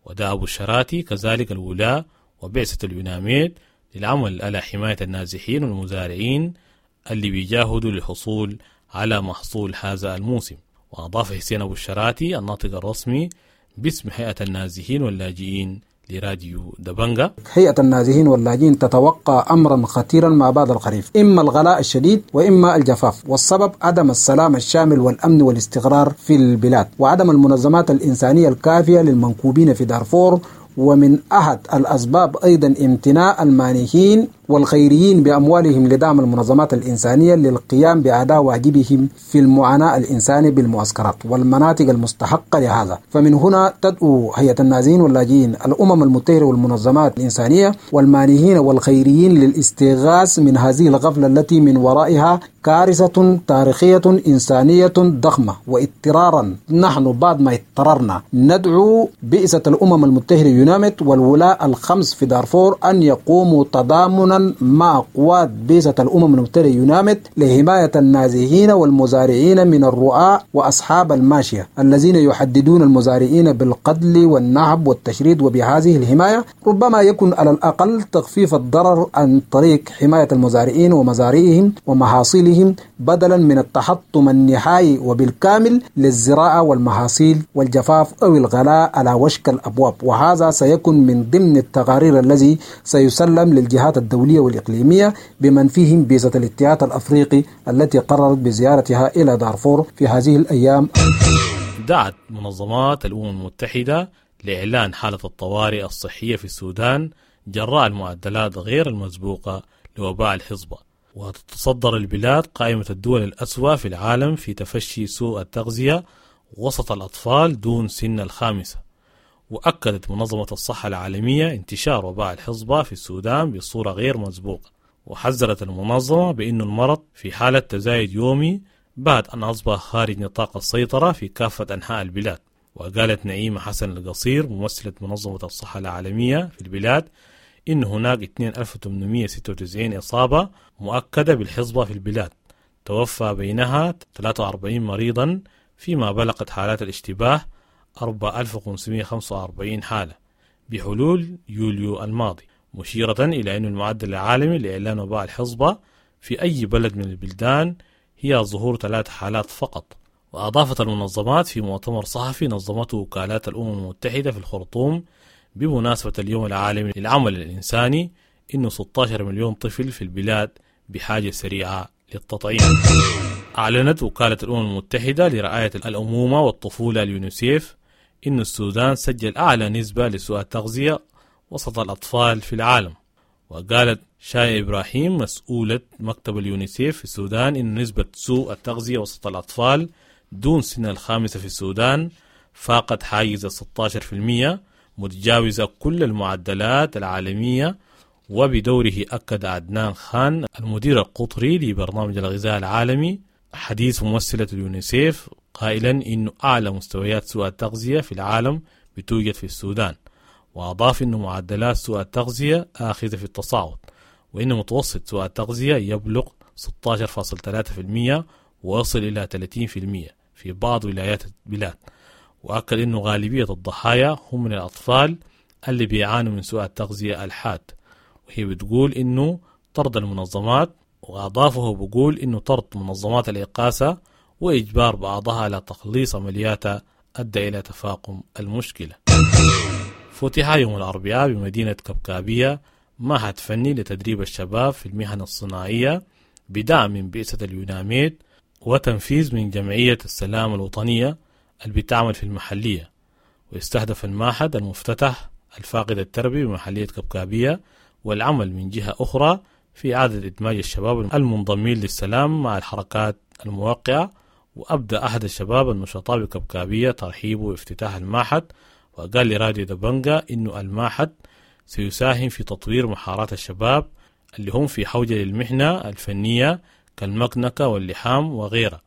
ودعا أبو الشراتي كذلك الولاة وبعثة اليوناميد للعمل على حماية النازحين والمزارعين اللي بيجاهدوا للحصول على محصول هذا الموسم. وأضاف حسين أبو الشراتي الناطق الرسمي باسم هيئة النازحين واللاجئين لراديو دبنجا: هيئة النازحين واللاجئين تتوقع أمرا خطيرا ما بعد الخريف، إما الغلاء الشديد وإما الجفاف، والسبب عدم السلام الشامل والأمن والاستقرار في البلاد، وعدم المنظمات الإنسانية الكافية للمنكوبين في دارفور. ومن أحد الأسباب أيضا امتناع المانحين والخيريين بأموالهم لدعم المنظمات الإنسانية للقيام بأداء واجبهم في المعاناة الإنساني بالمعسكرات والمناطق المستحقة لهذا. فمن هنا تدعو هيئة النازحين واللاجئين الأمم المتحدة والمنظمات الإنسانية والمانحين والخيريين للاستغاث من هذه الغفلة التي من ورائها كارثة تاريخية إنسانية ضخمة. واضطرارا نحن بعد ما اضطررنا ندعو بعثة الأمم المتحدة يوناميد والولاء الخمس في دارفور أن يقوموا تضامنا مع قوات بعثة الأمم المتحدة يوناميد لحماية النازحين والمزارعين من الرعاة وأصحاب الماشية الذين يحددون المزارعين بالقتل والنهب والتشريد. وبهذه الحماية ربما يكون على الأقل تخفيف الضرر عن طريق حماية المزارعين ومزارعهم ومحاصيلهم بدلا من التحطم النهائي وبالكامل للزراعة والمحاصيل والجفاف أو الغلاء على وشك الأبواب. وهذا سيكون من ضمن التقارير الذي سيسلم للجهات الدولية والإقليمية بمن فيهم بعثة الاتحاد الأفريقي التي قررت بزيارتها إلى دارفور في هذه الأيام. دعت منظمات الأمم المتحدة لإعلان حالة الطوارئ الصحية في السودان جراء المعدلات غير المسبوقة لوباء الحصبة. وتتصدر البلاد قائمة الدول الأسوأ في العالم في تفشي سوء التغذية وسط الأطفال دون سن الخامسة. وأكدت منظمة الصحة العالمية انتشار وباء الحصبة في السودان بصورة غير مسبوقة. وحذرت المنظمة بأن المرض في حالة تزايد يومي بعد أن أصبح خارج نطاق السيطرة في كافة أنحاء البلاد. وقالت نعيمة حسن القصير ممثلة منظمة الصحة العالمية في البلاد إن هناك ألفين وثمانمائة وستة وتسعين إصابة مؤكدة بالحصبة في البلاد، توفى بينها ثلاثة وأربعين مريضا، فيما بلغت حالات الاشتباه أربعة آلاف وخمسمائة وخمسة وأربعين حالة بحلول يوليو الماضي، مشيرة إلى أن المعدل العالمي لإعلان وباء الحصبة في أي بلد من البلدان هي ظهور ثلاث حالات فقط. وأضافت المنظمات في مؤتمر صحفي نظمته وكالات الأمم المتحدة في الخرطوم بمناسبة اليوم العالمي للعمل الإنساني إنه ستة عشر مليون طفل في البلاد بحاجة سريعة للتطعيم. أعلنت وكالة الأمم المتحدة لرعاية الأمومة والطفولة اليونيسيف إن السودان سجل أعلى نسبة لسوء التغذية وسط الأطفال في العالم. وقالت شاي إبراهيم مسؤولة مكتب اليونيسيف في السودان إن نسبة سوء التغذية وسط الأطفال دون سن الخامسة في السودان فاقت حاجز ستة عشر بالمئة متجاوزة كل المعدلات العالمية. وبدوره أكد عدنان خان المدير القطري لبرنامج الغذاء العالمي حديث ممثلة اليونيسيف قائلا إن أعلى مستويات سوء التغذية في العالم بتوجد في السودان، وأضاف أن معدلات سوء التغذية آخذة في التصاعد، وإن متوسط سوء التغذية يبلغ ستة عشر فاصلة ثلاثة بالمئة ويصل إلى ثلاثين بالمئة في بعض ولايات البلاد. وأكد أنه غالبية الضحايا هم من الأطفال اللي بيعانوا من سوء التغذية الحاد. وهي بتقول إنه طرد المنظمات، وأضافه بقول إنه طرد منظمات الإغاثة وإجبار بعضها على تخليص عملياتها أدى إلى تفاقم المشكلة. فتح يوم الأربعاء بمدينة كبكابية معهد فني لتدريب الشباب في المهن الصناعية بدعم من بعثة اليوناميد وتنفيذ من جمعية السلام الوطنية اللي بتعمل في المحلية. ويستهدف المعهد المفتتح الفاقد التربي بمحلية كبكابية والعمل من جهة أخرى في إعادة إدماج الشباب المنضمين للسلام مع الحركات الموقعة. وأبدأ أحد الشباب النشطاء بكبكابية ترحيبه بافتتاح المعهد، وقال لراديو دبنجا إنه المعهد سيساهم في تطوير مهارات الشباب اللي هم في حوجة للمهنة الفنية كالمكنكة واللحام وغيرها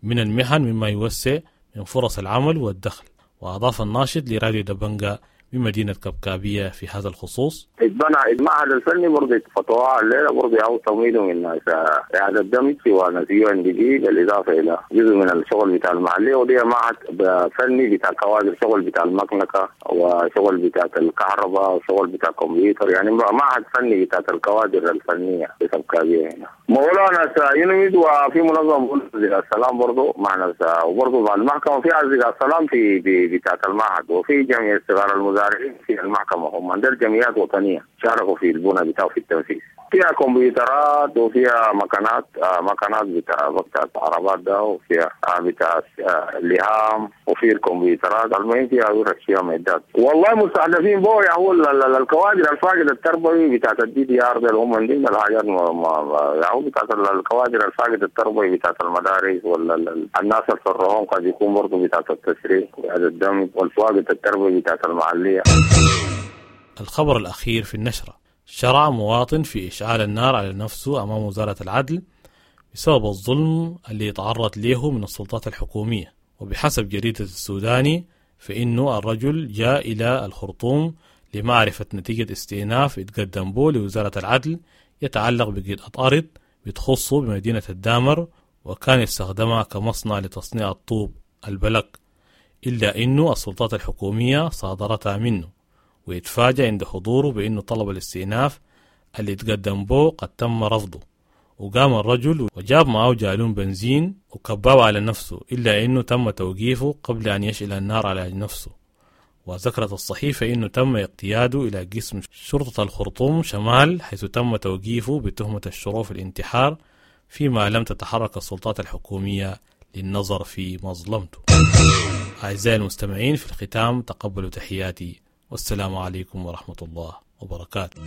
من المهن، مما يوسع من فرص العمل والدخل. وأضاف الناشط لراديو دبنجا بمدينة كبكابية في هذا الخصوص: اتبنى المعهد الفني برضه فتوى الليلة برضه أو تمويله من إعادة دمج ونسيو ان دي جي، بالإضافة إلى جزء من الشغل بتاع المحلية، ودي معهد فني بتاع كوادر، شغل بتاع المكنكة وشغل بتاع الكهرباء وشغل بتاع الكمبيوتر، يعني معهد فني بتاع الكوادر الفنية في كبكابية هنا. مولانا يونميد وفي منظمة السلام برضه معنا، وبرضه مع المحكمة في أصدقاء السلام في بتاعة المعهد، وفي جمعية صغار المزارعين في المحكمة، هم عندنا جمعيات وطنية شاركوا في البنى بتاعه في التنفيذ. فيها كمبيوترات وفيها مكانات آه مكانات بتاع بتاع العربات ده، وفيها آه بتاع آه اللهام، وفي الكمبيوترات. المهم فيها ورش، فيها معدات. والله مستهدفين بو يا هو الكوادر الفاقد التربوي بتاعت ال DDR ده، اللي هم عندنا الحاجات يا هو بتاعت الكوادر الفاقد التربوي بتاعت المدارس، ولا الناس اللي في الرهون قد يكون برضه بتاعت التسريح وهذا الدم والفاقد التربوي بتاعت المحلية. الخبر الأخير في النشرة: شرع مواطن في إشعال النار على نفسه أمام وزارة العدل بسبب الظلم اللي يتعرض له من السلطات الحكومية. وبحسب جريدة السوداني فإنه الرجل جاء إلى الخرطوم لمعرفة نتيجة استئناف اتقدم به لوزارة العدل يتعلق بقطعة أرض بتخصه بمدينة الدامر، وكان يستخدمها كمصنع لتصنيع الطوب البلك، إلا إنه السلطات الحكومية صادرتها منه، ويتفاجأ عند حضوره بأنه طلب الاستئناف اللي تقدم به قد تم رفضه. وقام الرجل وجاب معه جالون بنزين وكباه على نفسه، إلا أنه تم توقيفه قبل أن يشعل النار على نفسه. وذكرت الصحيفة أنه تم اقتياده إلى قسم شرطة الخرطوم شمال، حيث تم توقيفه بتهمة الشروع في الانتحار، فيما لم تتحرك السلطات الحكومية للنظر في مظلمته. أعزائي المستمعين، في الختام تقبلوا تحياتي، والسلام عليكم ورحمة الله وبركاته.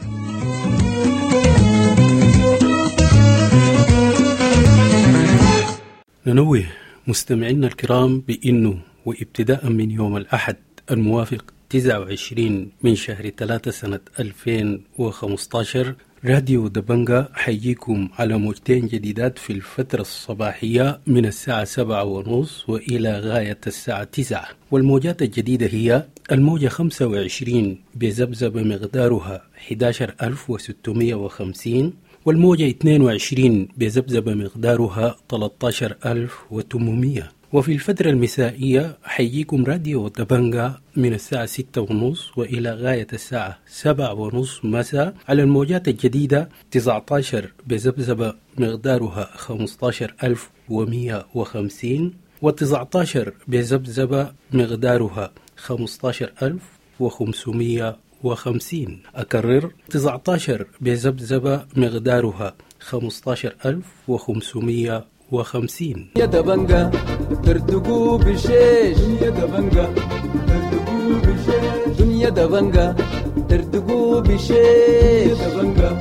ننوه مستمعينا الكرام بأنه وابتداء من يوم الأحد الموافق تسعة وعشرين من شهر ثلاثة سنة ألفين وخمسة عشر راديو دبنجا حييكم على موجتين جديدات في الفترة الصباحية من الساعة سبعة ونص وإلى غاية الساعة تسعة، والموجات الجديدة هي الموجة خمسة وعشرين بذبذبة مقدارها أحد عشر ألف وستمائة وخمسين، والموجة اثنين وعشرين بذبذبة مقدارها ثلاثة عشر ألف وثمانمائة. وفي الفترة المسائية حييكم راديو دبنجا من الساعة ستة ونص وإلى غاية الساعة سبعة ونص مساء على الموجات الجديدة تسعة عشر بذبذبة مقدارها خمسة عشر ألف ومئة وخمسين، وتسعة عشر بذبذبة مقدارها خمسة عشر ألف وخمسمائة وخمسين. أكرر، تسعة عشر بذبذبة مقدارها خمسة عشر ألف وخمسمائة وخمسين. يا دبنجا ترتقوا بشيش، يا دبنجا ترتقوا بشيش، دنيا دبنجا ترتقوا بشيش، يا دبنجا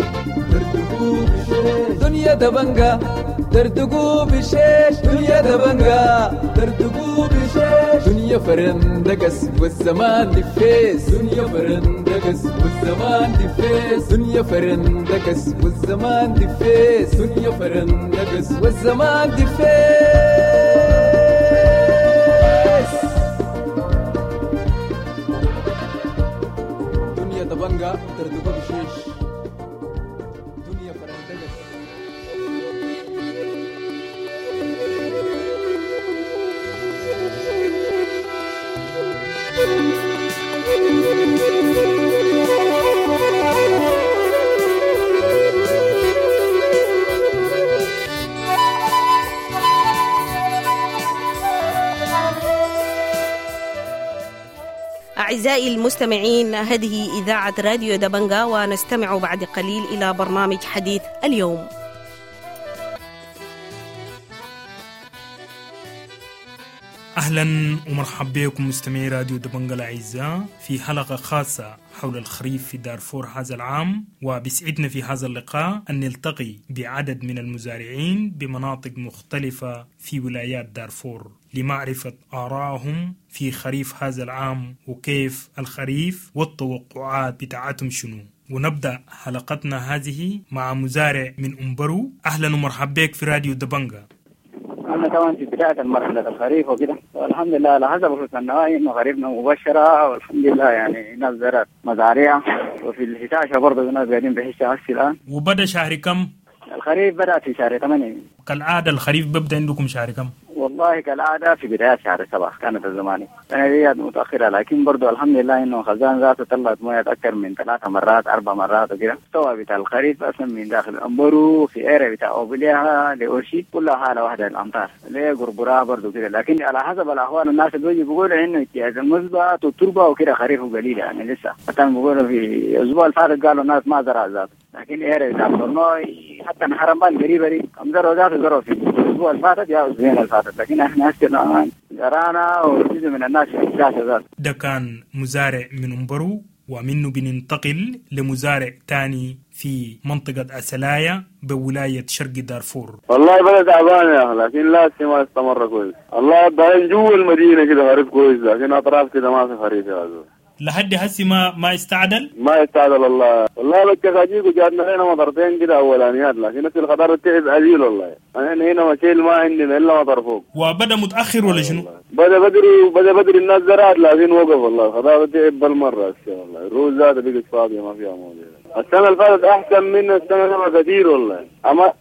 ترتقوا بشيش، دنيا دبنجا ترتقوا بشيش، دنيا دبنجا ترتقوا بشيش، دنيا فرندقس والزمان دفيس، دنيا فرندقس والزمان دفيس، دنيا فرندقس والزمان دفيس، دنيا فرندقس والزمان دفيس. دنيا دبنجا ترتقوا بشيش، دنيا فرندقس. Thank you. أعزائي المستمعين، هذه إذاعة راديو دبنجا، ونستمع بعد قليل إلى برنامج حديث اليوم. أهلا ومرحبا بكم مستمعي راديو دبنجا الأعزاء في حلقة خاصة حول الخريف في دارفور هذا العام. وبسعدنا في هذا اللقاء أن نلتقي بعدد من المزارعين بمناطق مختلفة في ولايات دارفور لمعرفة آرائهم في خريف هذا العام وكيف الخريف والتوقعات بتاعتهم شنو. ونبدأ حلقتنا هذه مع مزارع من أمبرو. أهلا ومرحبا بك في راديو دبنجا. أنا طبعا في بداية مرحلة الخريف وكده، والحمد لله على حسب رؤية النواحي إنه خريفنا مبشرة والحمد لله، يعني ناس زرعت مزارع، وفي الحشاشة برضه ناس قاعدين بحشة هسه الآن. وبدأ شهر كم؟ الخريف بدأ في شهر ثمانية. كالعادة الخريف بيبدأ عندكم شهر كم؟ والله كالعادة في بداية شهر سبعة كانت الزماني، السنة دي متأخرة، لكن برضو الحمد لله إنه خزان ذاته طلعت موية أكثر من ثلاثة مرات أربع مرات وكده. مستوى بتاع الخريف أصلا من داخل أمبرو في إيرة بتاع أوبليها لأورشي كلها حالة واحدة الأمطار ليه قربرها برضو كده، لكن على حسب الأحوال الناس اللي بيجي بيقولوا إنه اجتياز المثبت والتربة وكده خريفه قليل يعني لسه، حتى بيقولوا في الأسبوع الفارق قالوا الناس ما زرع ذاته، لكن إيرة بتاع برنوي حتى الحرمان القريبة دي كم زرعوا ذاته زرعوا في الأسبوع الفاتت يا أسبوعين الفاتت، لكن احنا هسه الآن زرعنا وجزء من الناس في الشاشة ذات. ده كان مزارع من أمبرو، ومنه بننتقل لمزارع تاني في منطقة أسلايا بولاية شرق دارفور. والله بلد تعبان يا أخي، لكن لا ما استمر كويس. الله بعدين جوا المدينة كده خريف كويس، لكن أطراف كده ما في خريف يا زول. لحد هسي ما ما استعدل؟ ما استعدل والله. والله بتخاجيك وجاتنا هنا مطرتين كده اولانيات، لكن نفس الخضار تعب قليل والله. انا هنا مشيل ما عندنا الا مطر فوق. وبدا متاخر ولا شنو؟ بدا بدري، بدا بدري الناس زرعت لكن وقف والله. الخضار تعب بالمره هسه والله. الروز ذاته بقت فاضيه ما فيها مويه. السنه اللي فاتت احسن من السنه دي كثير والله.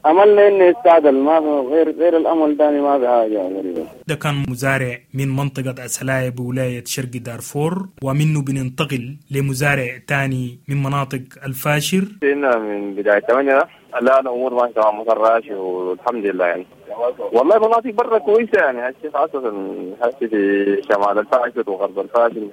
املنا انه يستعدل، ما في غير غير الامل ثاني ما في حاجه غريبه. ده كان مزارع من منطقه أسلايا بولايه شرق دارفور، ومنه بننتقل لمزارع تاني من مناطق الفاشر. هنا من بداية ثمانية لا الأمور ماشية تمام مطراشي والحمد لله يعني. والله مناطق برا كويسة يعني، هسه خاصة هسه في شمال الفاشر وغرب الفاشر،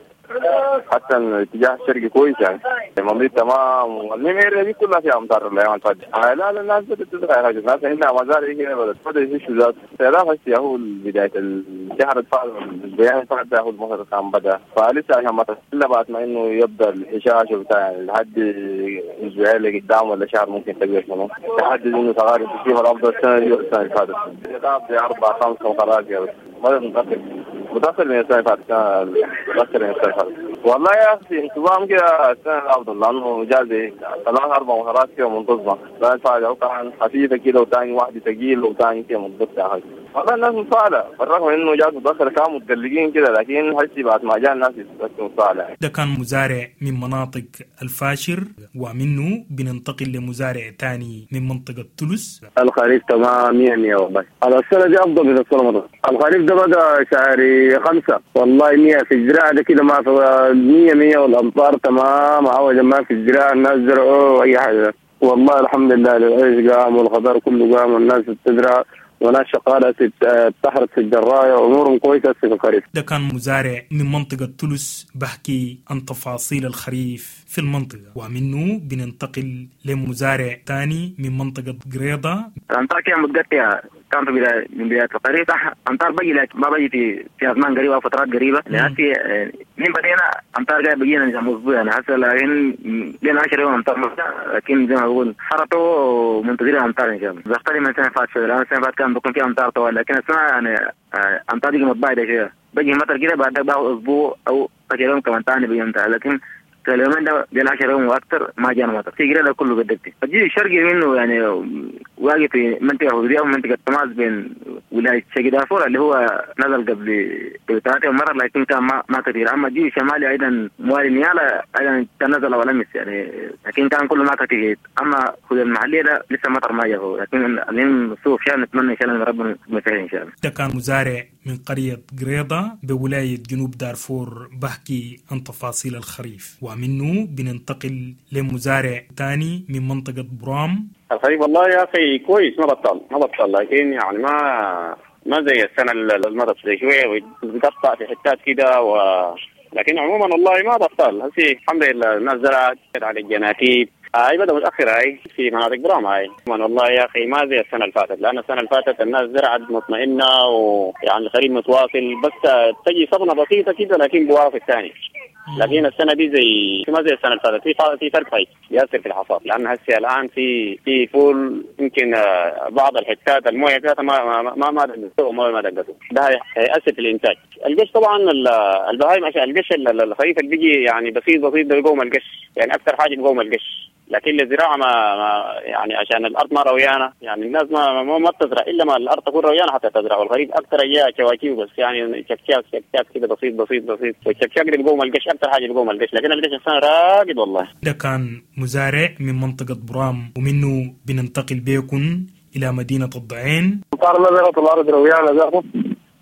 حتى الاتجاه الشرقي كويس يعني. المنطقة تمام، والنميرة دي كلها فيها أمطار الأيام اللي فاتت. لا لا الناس بدأت تزرع يا رجل، الناس عندها مزارع هنا بدأت بدأت يشوا ذات. لا هسه هو بداية الشهر الفات الأسبوعين الفات ده هو المطر كان بدأ، فلسه عشان ما إلا بعد ما إنه يبدأ الحشاش وبتاع لحد أسبوعين اللي قدام ولا شهر ممكن تقدر شنو تحدد إنه تغير كيف الأفضل السنة دي والسنة اللي فاتت. في أربع خمس مطرات يا بس ما متأخر متأخر من السنة اللي فاتت، متأخر من السنة اللي فاتت. والله يا أخي انتظام كده السنة الأفضل، لأنه جاز ثلاث أربع مطرات كده منتظمة، لا الفائدة كان خفيفة كده وثاني واحدة ثقيلة وثاني كده منتظمة. والله الناس متفائلة بالرغم من إنه جاز متأخر كانوا متقلقين كده، لكن هسي بعد ما جاء الناس متفائلة. ده كان مزارع من مناطق الفاشر، ومنه بننتقل لمزارع تاني من منطقة تلس. الخريف تمام مية مية والله. السنة دي أفضل من السنة الماضية. الخريف ده بدأ شهر خمسة والله مية في الزراعة ده كده ما في مية مية، والأمطار تمام عوجا ما في الزراعة، الناس زرعوا أي حاجة والله الحمد لله. العيش قام والخضار كله قام والناس بتزرع وناس شغالة تحرث في الجراية وأمورهم كويسة في الخريف. ده كان مزارع من منطقة تلس بحكي عن تفاصيل الخريف في المنطقة، ومنه بننتقل لمزارع تاني من منطقة قريضة. الأمطار كانت متقطعة، كان في بداية من بداية الخريف صح أمطار بجي، لكن ما بجي في في أزمان قريبة أو فترات قريبة. لأن في من بدينا أمطار جاي بجينا نظام أسبوع يعني هسه، لكن لنا عشرة يوم أمطار، لكن زي ما بقول حرطوا ومنتظرين أمطار إن شاء الله. بختلف من السنة فاتت شوية، لأن السنة فاتت كان بيكون في أمطار طوال، لكن السنة يعني أمطار دي متباعدة شوية، بجي مطر كده بعد باخذ أسبوع أو عشرة يوم كمان تاني بيجي أمطار، لكن اليومين ده بين عشرة يوم واكثر ما جانا مطر. في قرية كله بدتي الجيل الشرقي منه يعني واقف في منطقه حدوديه ومنطقه تماس بين ولايه شرق دارفور اللي هو نزل قبل ثلاثة مرة، لكن كان ما, ما كثير. اما الجيل الشمالي ايضا موالي نيالا ايضا كان نزل اول امس يعني، لكن كان كله ما كثير. اما حدود المحليه ده لسه مطر ما جاء، لكن اليوم السوق شاء نتمنى ان شاء الله ربنا يسهل ان شاء الله. ده كان مزارع من قرية قريضة بولاية جنوب دارفور بحكي عن تفاصيل الخريف، ومنه بننتقل لمزارع تاني من منطقة برام. الخريف والله يا أخي كويس، ما بطل ما بطل، لكن يعني ما ما زي السنة اللي مرت، زي شوية بتقطع في حتات كده و لكن عموما والله ما بطال. هسي الحمد لله الناس زرعت على الجناتيب، هاي بدأ متأخر هاي في مناطق برام هاي. والله يا أخي ما زي السنة اللي فاتت، لأن السنة اللي فاتت الناس زرعت مطمئنة ويعني الخريف متواصل، بس تجي صبنة بسيطة كده لكن بوافق ثاني. لكن السنة دي زي ما زي السنة اللي فاتت، في في فرق هاي بيأثر في الحصاد، لأن هسه الآن في في فول يمكن بعض الحتات المويه فيها ما ما ما دقته وما ما دقته، ده هيأثر في الإنتاج. القش طبعا البهايم عشان القش الخريف اللي بيجي يعني بسيط بسيط ده بيقوم القش، يعني أكثر حاجة بيقوم القش. لكن الزراعة ما, ما يعني عشان الأرض ما رويانة، يعني الناس ما ما, ما بتزرع إلا ما الأرض تكون رويانة حتى تزرع. والخريف أكثر أيام شواكيو بس، يعني شكشاك شكشاك كده بسيط بسيط بسيط، والشكشاك اللي بيقوم القش أكثر حاجة بيقوم القش، لكن القش السنة راقد والله. ده كان مزارع من منطقة برام، ومنه بننتقل بيكن إلى مدينة الضعين. أمطار نزلت الأرض رويانة ذاته،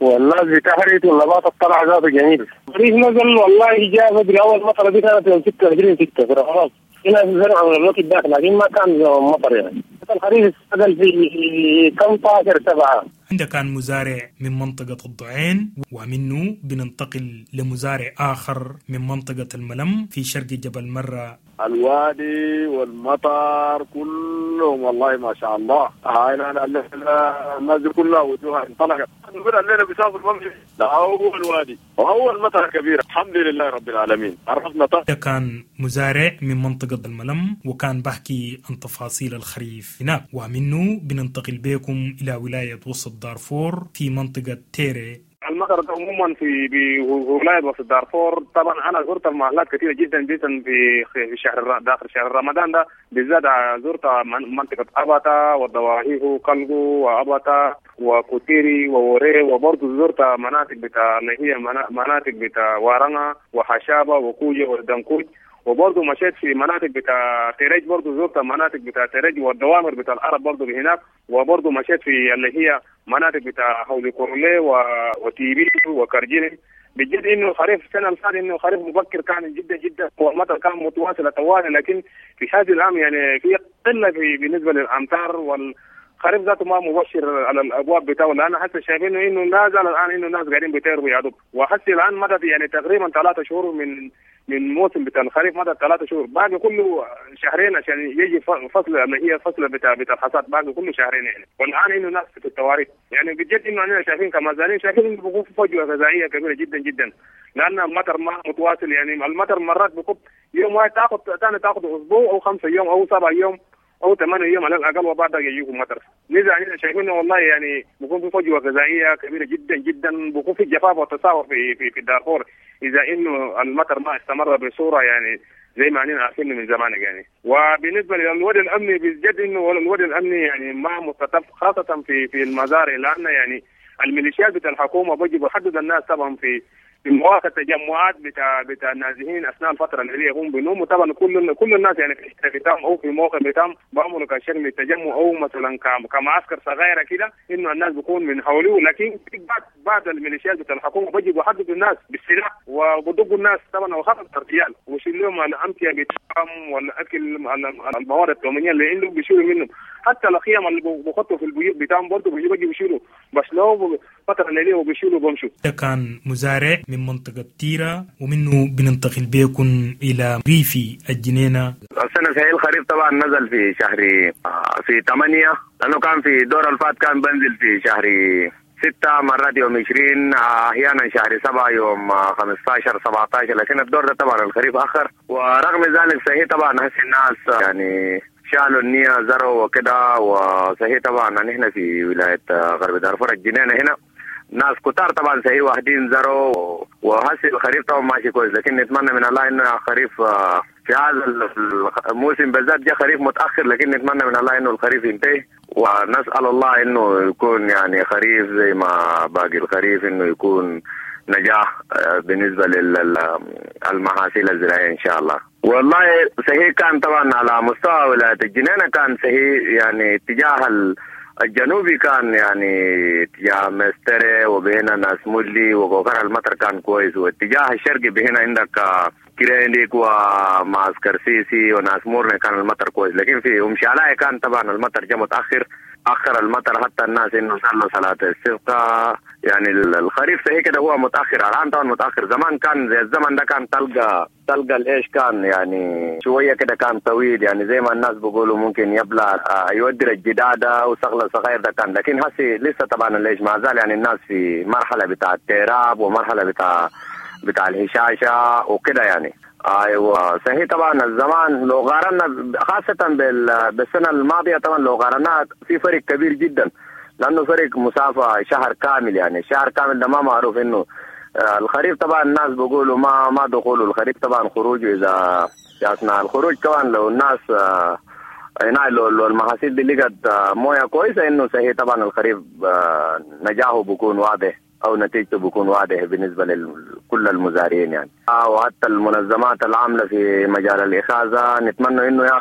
والناس بتحرت والنبات طلع ذاته جميل. الخريف نزل والله جاء بدري، أول مطرة دي كانت يوم ستة وعشرين ستة في رمضان. هنا في زرع من الوقت داخل لكن ما كان مطر، يعني الخريف استقل في كم عشر سبعة. عندك كان مزارع من منطقة الضعين، ومنه بننتقل لمزارع آخر من منطقة الملم في شرق جبل مرة. الوادي والمطر كلهم والله ما شاء الله، هاي الناس كلها وجوهها انطلقت. نقول الليلة بيسافر ممشي أول وادي وأول مطر كبيرة، الحمد لله رب العالمين عرفنا. ده كان مزارع من منطقة الملم، وكان بحكي عن تفاصيل الخريف هناك. ومنه بننتقل بكم إلى ولاية وسط دارفور في منطقة تيري. المطر عموما في بولاية وسط دارفور، طبعا انا زرت المحلات كثيرة جدا جدا في في شهر داخل شهر رمضان ده بالذات، زرت منطقة اباتا والضواحيه وكالجو واباتا وكوتيري ووري، وبرضه زرت مناطق بتاع اللي هي مناطق بتاع وارنا وحشابه وكوجه والدنكوج، وبرضه مشيت في مناطق بتاع تيريج، برضه زرت مناطق بتاع تيريج والدوامر بتاع العرب برضه هناك، وبرضه مشيت في اللي هي مناطق بتاع حولي كورلي وتيبي وكرجيني. بجد انه خريف السنة اللي فاتت انه خريف مبكر كان جدا جدا، والمطر كان متواصل طوال، لكن في هذا العام يعني في قلة في بالنسبة للامطار، والخريف ذاته ما مبشر على الابواب بتاعه، لان حتى شايفين انه نازل الان انه الناس قاعدين بيطيروا يا دوب. وحتى الان مدت يعني تقريبا ثلاثة شهور من من موسم بتاع الخريف، مدى ثلاثة شهور، باقي كله شهرين عشان يجي فصل اللي هي فصل بتاع بتاع الحصاد، باقي كله شهرين يعني. والان انه ناس في التواريخ يعني بجد انه احنا شايفين كمزارعين شايفين انه بيكون في فجوة غذائية كبيرة جدا جدا، لان المطر ما متواصل، يعني المطر مرات بيكون يوم واحد تاخذ ثاني تاخذ اسبوع او خمسة يوم او سبعة يوم او ثمانية يوم على الاقل، وبعدها يجيكم مطر. لذا احنا شايفين والله يعني بيكون في فجوة غذائية كبيرة جدا جدا، بيكون في جفاف وتساهل في في في دارفور اذا انه المطر ما استمر بصورة يعني زي ما احنا عارفين من زمان يعني. وبالنسبة للوضع الامني بجد انه الوضع الامني يعني ما مستتب، خاصة في في المزارع، لان يعني الميليشيات بتاع الحكومة بيجي بيحدد الناس طبعا في في مواقع التجمعات بتاع بتاع النازحين اثناء الفترة اللي هم بينوموا. طبعا كل كل الناس يعني في الحتة بتاعهم او في موقع بتاعهم بيعملوا كشكل التجمع او مثلا كمعسكر صغيرة كده انه الناس بيكون من حوله، لكن في بعض بعض الميليشيات بتاع الحكومة بيجي بيحددوا الناس بالسلاح وبيدقوا الناس طبعا وخاصة الرجال، ويشيلوا لهم الامتعة بتاعهم والاكل الموارد التموينيه اللي عندهم بيشيلوا منهم، حتى الخيام اللي بيحطوا في البيوت بتاعهم برضه بيجوا بيشيلوا، بس لو فترة الليلية وبيشيلوا بمشوا. ده كان مزارع من منطقة تيرا، ومنه بننتقل بيكن إلى ريفي الجنينة. السنة في الخريف طبعا نزل في شهر في ثمانية، لأنه كان في دور الفات كان بنزل في شهر ستة مرات يوم عشرين، أحيانا شهر سبعة يوم خمستاشر سبعتاشر، لكن الدور ده طبعا الخريف أخر. ورغم ذلك صحيح طبعا هسه الناس يعني شالوا النية زرعوا وكده، وصحيح طبعا نحن في ولاية غرب دارفور الجنينة هنا ناس كتار طبعا صحيح واحدين زرعوا، وهسه الخريف طبعا ماشي كويس، لكن نتمنى من الله انه خريف في هذا الموسم بالذات جاء خريف متاخر، لكن نتمنى من الله انه الخريف ينتهي، ونسال الله انه يكون يعني خريف زي ما باقي الخريف، انه يكون نجاح بالنسبة للمحاصيل الزراعية ان شاء الله. والله صحيح كان طبعا على مستوى ولاية الجنينة كان صحيح يعني اتجاه الجنوبي كان يعني اتجاه مستري وبهنا ناس مولي وغوكر المطر كان كويس، واتجاه الشرقي بهنا عندك كرينديك ومعسكر سيسي وناس مورنا كان المطر كويس، لكن في أم شعلاء كان طبعا المطر جاء متأخر، أخر المطر حتى الناس إنه صلوا صلاة الاستسقاء. يعني الخريف صحيح كده هو متأخر الآن، طبعا متأخر. زمان كان زي الزمن ده كان تلقى تلقى الإيش كان يعني شوية كده كان طويل، يعني زي ما الناس بيقولوا ممكن يبلع يودر الجدادة وصغلة صغير ده كان. لكن هسي لسه طبعا الإيش ما زال يعني الناس في مرحلة بتاع التراب ومرحلة بتاع بتاع الهشاشة وكده يعني. ايوه صحيح طبعا الزمان لو قارنا خاصة بالسنة الماضية طبعا لو قارناها في فرق كبير جدا، لأنه فرق مسافة شهر كامل، يعني شهر كامل ده ما معروف إنه الخريف طبعا الناس بيقولوا ما ما دخوله الخريف طبعا خروجه إذا أثناء الخروج كمان لو الناس هنا لو المحاصيل دي لقت مويه كويسة إنه صحيح طبعا الخريف نجاحه بيكون واضح أو نتيجته بيكون واضح بالنسبة لكل المزارعين يعني. وحتى المنظمات العاملة في مجال الإخاذة نتمنى إنه يا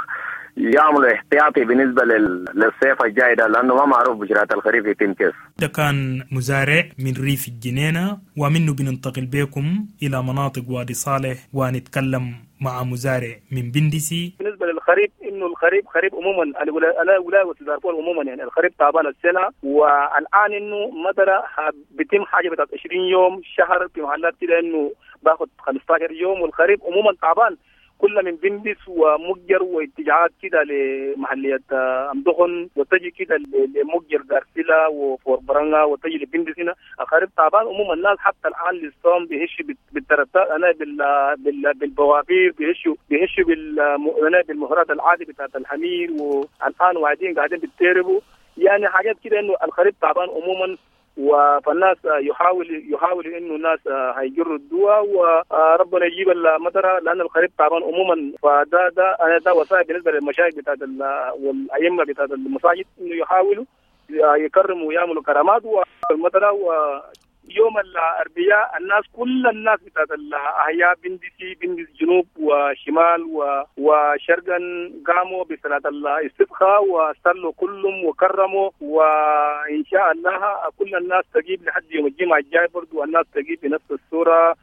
يعملوا احتياطي بالنسبة للصيف الجاي ده، لأنه ما معروف بشرات الخريف يتم كيف. ده كان مزارع من ريف الجنينة، ومنه بننتقل بكم إلى مناطق وادي صالح ونتكلم مع مزارع من بندسي. بالنسبة للخريف إنه الخريف خريف عموما أنا ولاية دارفور عموما يعني الخريف تعبان السنة، والآن إنه مطرة بتم حاجة بتاعت عشرين يوم شهر في محلات كده إنه باخد خمستاشر يوم، والخريف عموما تعبان كل من بندس ومجر واتجاهات كده لمحلية أمدخن وتجي كده لمجر دارسلة وفوربرانغا وتجي لبندس. هنا الخريف تعبان عموما، الناس حتى الآن للصوم بيهشوا بالترتات أنا بال بال بالبوابير بيهشوا بيهشوا بال أنا بالمهرات العادي بتاعت الحمير، والآن وعدين قاعدين بتتربوا يعني حاجات كده إنه الخريف تعبان عموما. فالناس يحاول يحاول انه الناس هيجروا الدواء وربنا يجيب المطره، لان الخريف تعبان عموما. فده ده انا ده وصايا بالنسبه للمشايخ بتاعت والائمه بتاعت المساجد انه يحاولوا يكرموا ويعملوا كرامات والمطره. ويوم الاربعاء الناس كل الناس بتاعت الاحياء بندسي بندس جنوب وشمال وشرقا قاموا بصلاه الاستسقاء وصلوا كلهم وكرموا، وان شاء الله كل الناس تجيب لحد يوم الجمعه الجاي برضو الناس تجيب بنفس الصوره،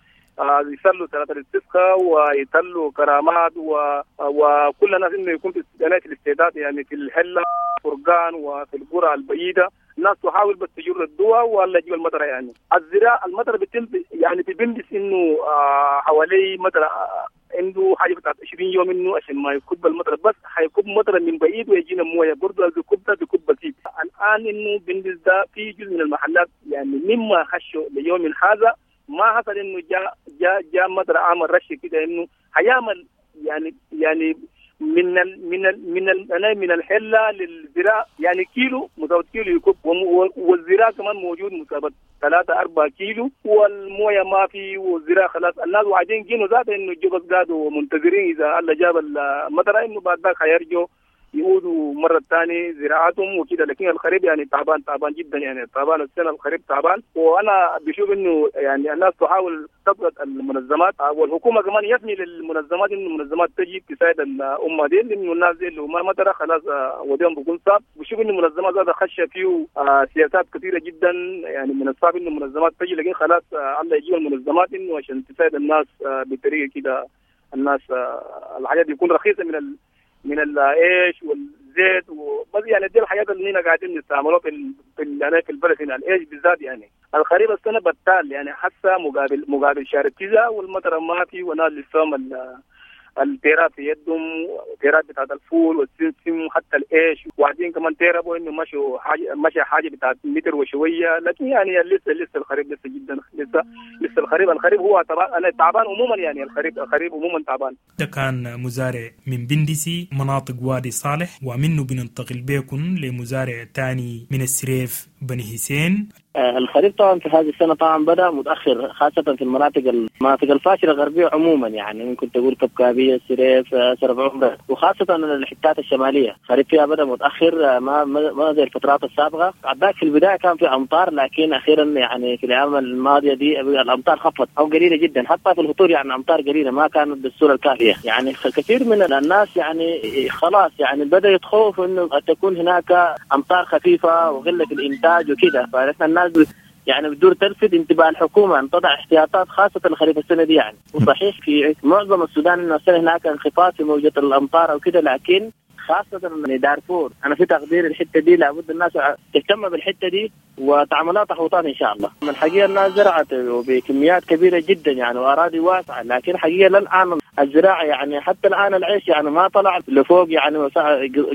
يصلوا صلاه الاستسقاء ويصلوا كرامات و... وكل الناس انه يكون في الاستعداد يعني في الحله فرقان وفي القرى البعيده الناس تحاول بس تجر الدواء ولا تجيب المطره. يعني الزراعه المطره بتم يعني في بندس انه آه حوالي مطره آه عنده حاجه بتاعت عشرين يوم انه عشان ما يكب المطره، بس حيكب مطره من بعيد ويجينا مويه برضه بيكب ده بيكب بسيط. الان انه بندس ده في جزء من المحلات يعني مما خشوا ليوم هذا ما حصل انه جاء جاء جاء مطره عمل رش كده انه هيعمل يعني يعني من ال من ال من ال من الحله للزراعه يعني كيلو مسافه كيلو يكب، والزراعه كمان موجود مسافه ثلاثة أربعة كيلو والمويه ما في، والزراعه خلاص الناس وعدين جينوا ذات انه الجبس قعدوا منتظرين اذا الله جاب المطره انه بعد ذاك حيرجوا يعودوا مرة ثانية زراعتهم وكده. لكن الخريف يعني تعبان تعبان جدا يعني تعبان السنة الخريف تعبان. وأنا بشوف إنه يعني الناس تحاول تضغط المنظمات والحكومة كمان يثني للمنظمات إنه المنظمات تجي تساعد الأمة دي، لأنه الناس دي لو ما مطرة خلاص وديهم بيكون صعب. بشوف إنه المنظمات هذا خش فيه سياسات كثيرة جدا يعني من الصعب إنه المنظمات تجي، لكن خلاص الله يجيب المنظمات إنه عشان تساعد الناس بطريقة كده الناس الحاجات يكون رخيصة من ال من العيش والزيت وبس يعني دي الحاجات اللي هنا قاعدين نستعملوها في ال... في ال... في البلد هنا العيش بالذات. يعني الخريف السنه بتال يعني حتى مقابل مقابل شهر تسعة والمطر ما في، وناس لسه التيرات في يدهم تيرات بتاعت الفول والسمسم وحتى العيش، وبعدين كمان تيربوا انه مشوا حاجه مشى حاجه بتاعت متر وشويه. لكن يعني لسه لسه الخريف لسه جدا لسه لسه الخريف الخريف هو تعبان انا تعبان عموما يعني الخريف الخريف عموما تعبان. ده كان مزارع من بندسي مناطق وادي صالح، ومنه بننتقل بكم لمزارع تاني من السريف بني حسين. الخريف طبعا في هذه السنة طبعا بدأ متأخر، خاصة في المناطق المناطق الفاشلة الغربية عموما، يعني ممكن تقول كبكابية، السريف، سرف عمرة، وخاصة الحتات الشمالية الخريف فيها بدأ متأخر، ما ما زي الفترات السابقة. عداك في البداية كان في أمطار، لكن أخيرا يعني في الأيام الماضية دي الأمطار خفت أو قليلة جدا، حتى في الهطول يعني أمطار قليلة ما كانت بالصورة الكافية. يعني كثير من الناس يعني خلاص يعني بدأ يتخوف إنه تكون هناك أمطار خفيفة وقلة الإنتاج وكذا، فنحن الناس يعني بدور تلفت انتباه الحكومة ان تضع احتياطات خاصة الخريف السنة دي يعني. وصحيح في معظم السودان انه السنة هناك انخفاض في موجه الامطار او كده، لكن خاصة من دارفور أنا في تقدير الحتة دي لابد الناس تهتم بالحتة دي وتعملها تحوطات إن شاء الله. من الحقيقة الناس زرعت وبكميات كبيرة جدا يعني وأراضي واسعة، لكن حقيقة للآن الزراعة يعني حتى الآن العيش يعني ما طلع لفوق يعني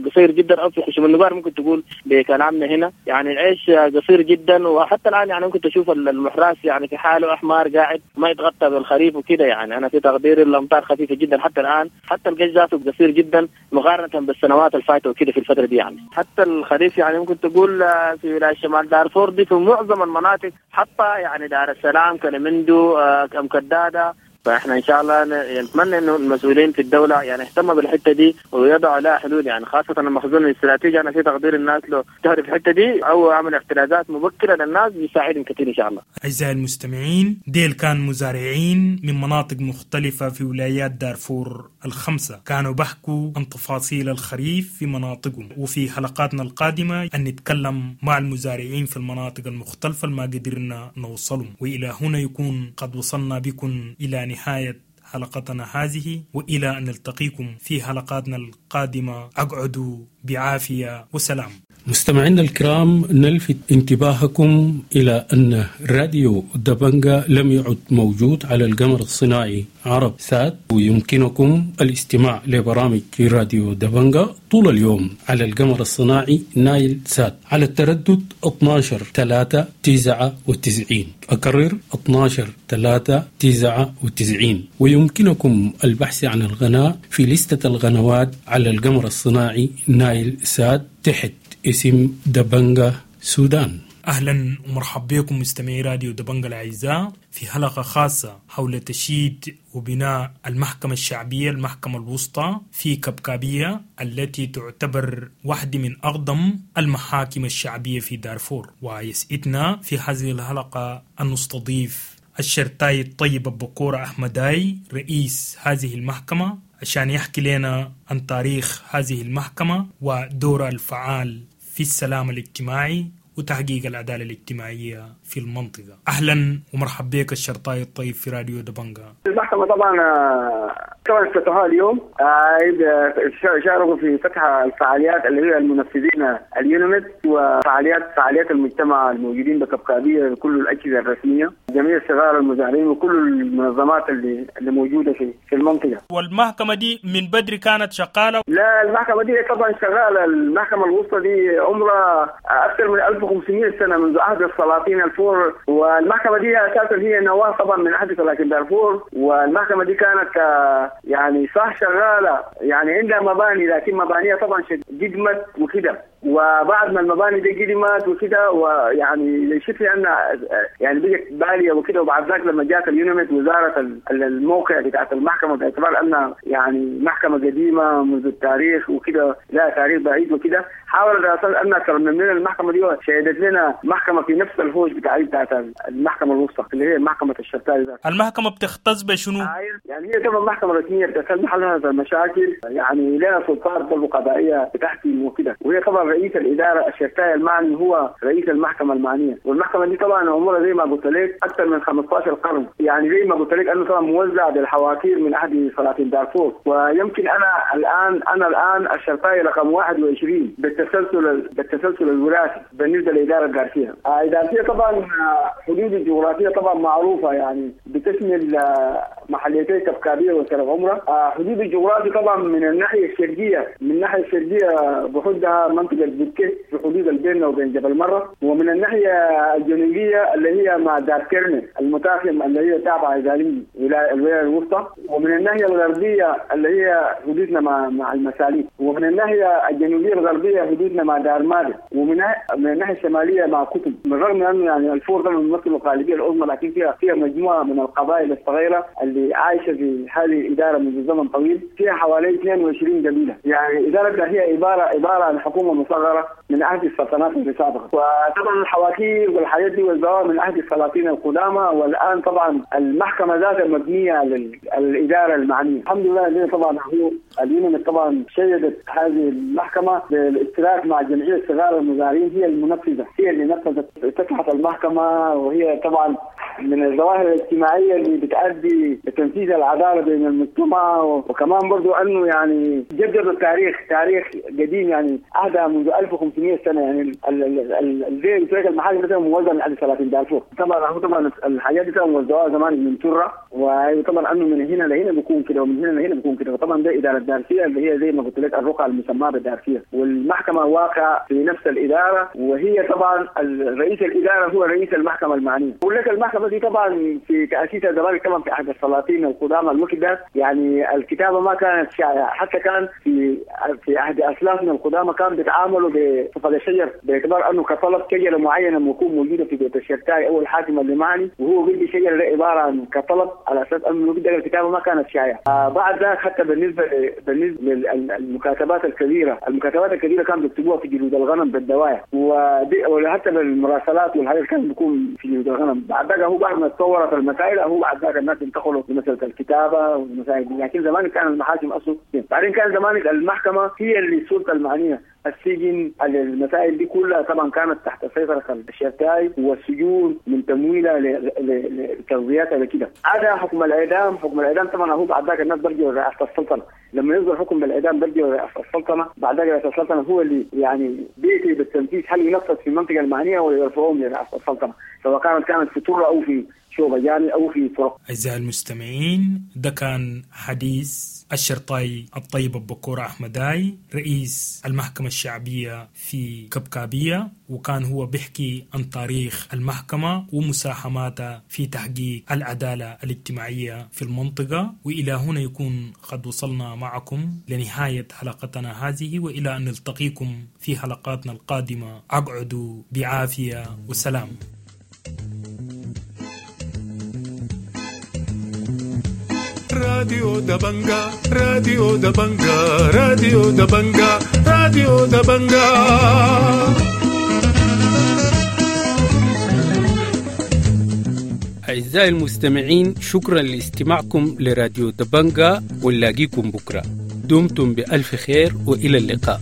قصير جدا أو في خشم النبار ممكن تقول بكلامنا هنا يعني العيش قصير جدا، وحتى الآن يعني ممكن تشوف المحراس يعني في حاله أحمر قاعد ما يتغطى بالخريف وكده يعني. أنا في تقدير الأمطار خفيفة جدا حتى الآن، حتى القش ذاته قصير جدا مقارنة بالسنوات الفاتة وكده في الفترة دي يعني. حتى الخريف يعني ممكن تقول في ولاية شمال دارفور دي في معظم المناطق حتى يعني دار السلام، كلمندو، أم كدادة. فاحنا ان شاء الله نتمنى انه المسؤولين في الدولة يعني يهتموا بالحتة دي ويضعوا لها حلول يعني، خاصة المخزون الاستراتيجي. انا في تقدير الناس لو تهرب في الحتة دي او عمل احترازات مبكرة للناس بيساعدهم كثير ان شاء الله. اعزائي المستمعين، ديل كان مزارعين من مناطق مختلفة في ولايات دارفور الخمسة، كانوا بحكوا عن تفاصيل الخريف في مناطقهم، وفي حلقاتنا القادمة ان نتكلم مع المزارعين في المناطق المختلفة ما قدرنا نوصلهم. والى هنا يكون قد وصلنا بكم الى نهاية حلقتنا هذه، وإلى أن نلتقيكم في حلقاتنا القادمة. أقعدوا بعافية وسلام. مستمعينا الكرام، نلفت انتباهكم إلى أن راديو دبنجا لم يعد موجود على القمر الصناعي عرب سات، ويمكنكم الاستماع لبرامج راديو دبنجا طول اليوم على القمر الصناعي نايل سات على التردد اثنا عشر ثلاثة تسعة وتسعين. أكرر اثنا عشر ثلاثة تسعة وتسعين. ويمكنكم البحث عن القناة في لستة القنوات على القمر الصناعي نايل سات تحت اسم دبنجا سودان. أهلا ومرحبا بكم مستمعي راديو دبنجا الأعزاء في حلقة خاصة حول تشييد وبناء المحكمة الشعبية، المحكمة الوسطى في كبكابية، التي تعتبر واحدة من أقدم المحاكم الشعبية في دارفور. ويسعدنا في هذه الحلقة أن نستضيف الشرطي الطيب بكورة أحمداي رئيس هذه المحكمة عشان يحكي لنا عن تاريخ هذه المحكمة ودورها الفعال في السلام الاجتماعي وتحقيق العدالة الاجتماعية في المنطقة. أهلا ومرحبا بك الشرطي الطيب في راديو دبنجا. المحكمة طبعا طبعا افتتحوها اليوم، شاركوا في فتح الفعاليات اللي هي المنفذين اليونمت وفعاليات فعاليات المجتمع الموجودين بكبكابية، كل الأجهزة الرسمية، جميع صغار المزارعين وكل المنظمات اللي اللي موجودة في في المنطقة. والمحكمة دي من بدري كانت شغالة؟ لا، المحكمة دي طبعا شغالة. المحكمة الوسطى دي عمرها أكثر من ألف وخمسمائة سنة منذ عهد السلاطين الفور، والمحكمة دي أساسا هي نواة طبعا من عهد سلاطين دارفور. والمحكمة دي كانت يعني صح شغالة، يعني عندها مباني، لكن مبانيها طبعا قدمت وكده، وبعد ما المباني دي قدمت وكده ويعني شفنا ان يعني بقت باليه وكده. وبعد ذاك لما جاءت اليونمت وزارة الموقع بتاعت المحكمة باعتبار انها يعني محكمة قديمة منذ التاريخ وكده، لا تاريخ بعيد وكده، حاولت اساسا انها ترمم لنا المحكمة دي، وشهدت لنا محكمة في نفس الهوش بتاع بتاعت المحكمة الوسطى اللي هي محكمة الشرطة. المحكمة بتختص بشنو؟ يعني هي طبعا محكمة رسمية بتحل حلها المشاكل، يعني لها سلطات برضه قضائية بتحكم وكده، وهي طبعا رئيس الإدارة الشرطية المعني هو رئيس المحكمة المعنية. والمحكمة دي طبعا عمرها زي ما قلت لك أكثر من خمسة عشر قرن، يعني زي ما قلت لك أنه طبعا موزع بالحواكير من عهد سلاطين دارفور. ويمكن أنا الآن أنا الآن الشرطي رقم واحد وعشرين بالتسلسل بالتسلسل الوراثي بالنسبة للإدارة الدارفية. الدارفية طبعا حدود الجغرافية طبعا معروفة، يعني بتشمل محليتي كبكابية وسرف عمرة. حدود الجغرافية طبعا من الناحية الشرقية، من الناحية الشرقية بحدها منطقة البكي في حدود بيننا وبين جبل مرة، ومن الناحية الجنوبية اللي هي مع دار كرني المتاخم اللي هي تابعة إدارية الولاية الوسطى، ومن الناحية الغربية اللي هي حدودنا مع مع المساليك، ومن الناحية الجنوبية الغربية حدودنا مع دار مالك، ومن من الناحية الشمالية مع كتب. من رغم أنه يعني الفور ده بيمثل الغالبية العظمى، لكن فيها فيها مجموعة من القبائل الصغيرة اللي اللي عايشه في هذه الادارة منذ زمن طويل، فيها حوالي اثنين وعشرين قبيلة. يعني ادارة هي عبارة عبارة عن حكومة مصغرة من عهد السلطنات السابقة، وطبعا الحواكير والحاجات دي والزوار من عهد السلاطين القدامى. والان طبعا المحكمة ذاتها مبنية على الادارة المعنية. الحمد لله طبعا هو اليونميد طبعا شيدت هذه المحكمة بالاشتراك مع جمعية صغار المزارعين، هي المنفذه، هي اللي نفذت افتتحت المحكمة، وهي طبعا من الظواهر الاجتماعية اللي بتؤدي لتنفيذ العدالة بين المجتمع. وكمان برضو انه يعني جددوا التاريخ، تاريخ قديم يعني عهدها منذ ألف وخمسمئة سنة. يعني زي قلت المحاكم مثلا موزعة من عهد ثلاثين دارفور. طبعا هو طبعا الحاجات دي طبعا موزعوها زمان من تره، وطبعا انه من هنا لهنا بيكون كده ومن هنا لهنا بيكون كده. وطبعا ده ادارة دارفيه اللي هي زي ما قلت لك الرقعة المسماه بالدارفيه، والمحكمة واقعه في نفس الادارة، وهي طبعا رئيس الادارة هو رئيس المحكمة المعنية. بقول لك المحكمة دي طبعا في تاسيسها زمان طبعا في عهد السلاطين القدامى الوقت ده، يعني الكتابة ما كانت شائعة، حتى كان في في عهد اسلافنا القدامى كان بيتعاملوا بصفة الشجر، باعتبار انه كطلب شجرة معينة بتكون موجودة في بيت الشرتاي او الحاكم اللي معني، وهو بيدي شجرة عبارة عن كطلب على اساس انه الوقت ده الكتابة ما كانت شائعة. آه بعد ذاك حتى بالنسبة بالنسبة للمكاتبات الكبيرة، المكاتبات الكبيرة كانوا بيكتبوها في جلود الغنم بالدوايا، وحتى بالمراسلات والحاجات كان بيكون في جلود الغنم. بعد ذاك هو بعد ما تطورت المسائل هو بعد ذاك الناس انتقلوا لمسالة الكتابة والمسائل دي. لكن زمان كان المحاكم اصلا، بعدين كان زمان المحكمة هي اللي السلطة المعنية، السجن المسائل دي كلها طبعا كانت تحت سيطرة الشرتاي، والسجون من تمويلها لتغذيتها لكده. هذا حكم الاعدام، حكم الاعدام طبعا هو بعد ذاك الناس برجعوا لرئاسة السلطنة، لما يصدر حكم بالاعدام برجعوا لرئاسة السلطنة، بعد ذاك رئاسة السلطنة هو اللي يعني بيتي بالتنفيذ، هل ينفذ في المنطقة المعنية ولا يرفعوهم لرئاسة السلطنة، سواء كانت كانت في طرة او في شوبجاني او في طرق. اعزائي المستمعين، ده كان حديث الشرطي الطيب بكور أحمداي رئيس المحكمة الشعبية في كبكابية، وكان هو بيحكي عن تاريخ المحكمة ومساهماتها في تحقيق العدالة الاجتماعية في المنطقة. وإلى هنا يكون قد وصلنا معكم لنهاية حلقتنا هذه، وإلى أن نلتقيكم في حلقاتنا القادمة، أقعدوا بعافية وسلام. راديو دبنجا، راديو دبنجا، راديو دبنجا، راديو دبنجا. أعزائي المستمعين، شكرا لاستماعكم لراديو دبنجا، ونلاقيكم بكرة. دمتم بألف خير وإلى اللقاء.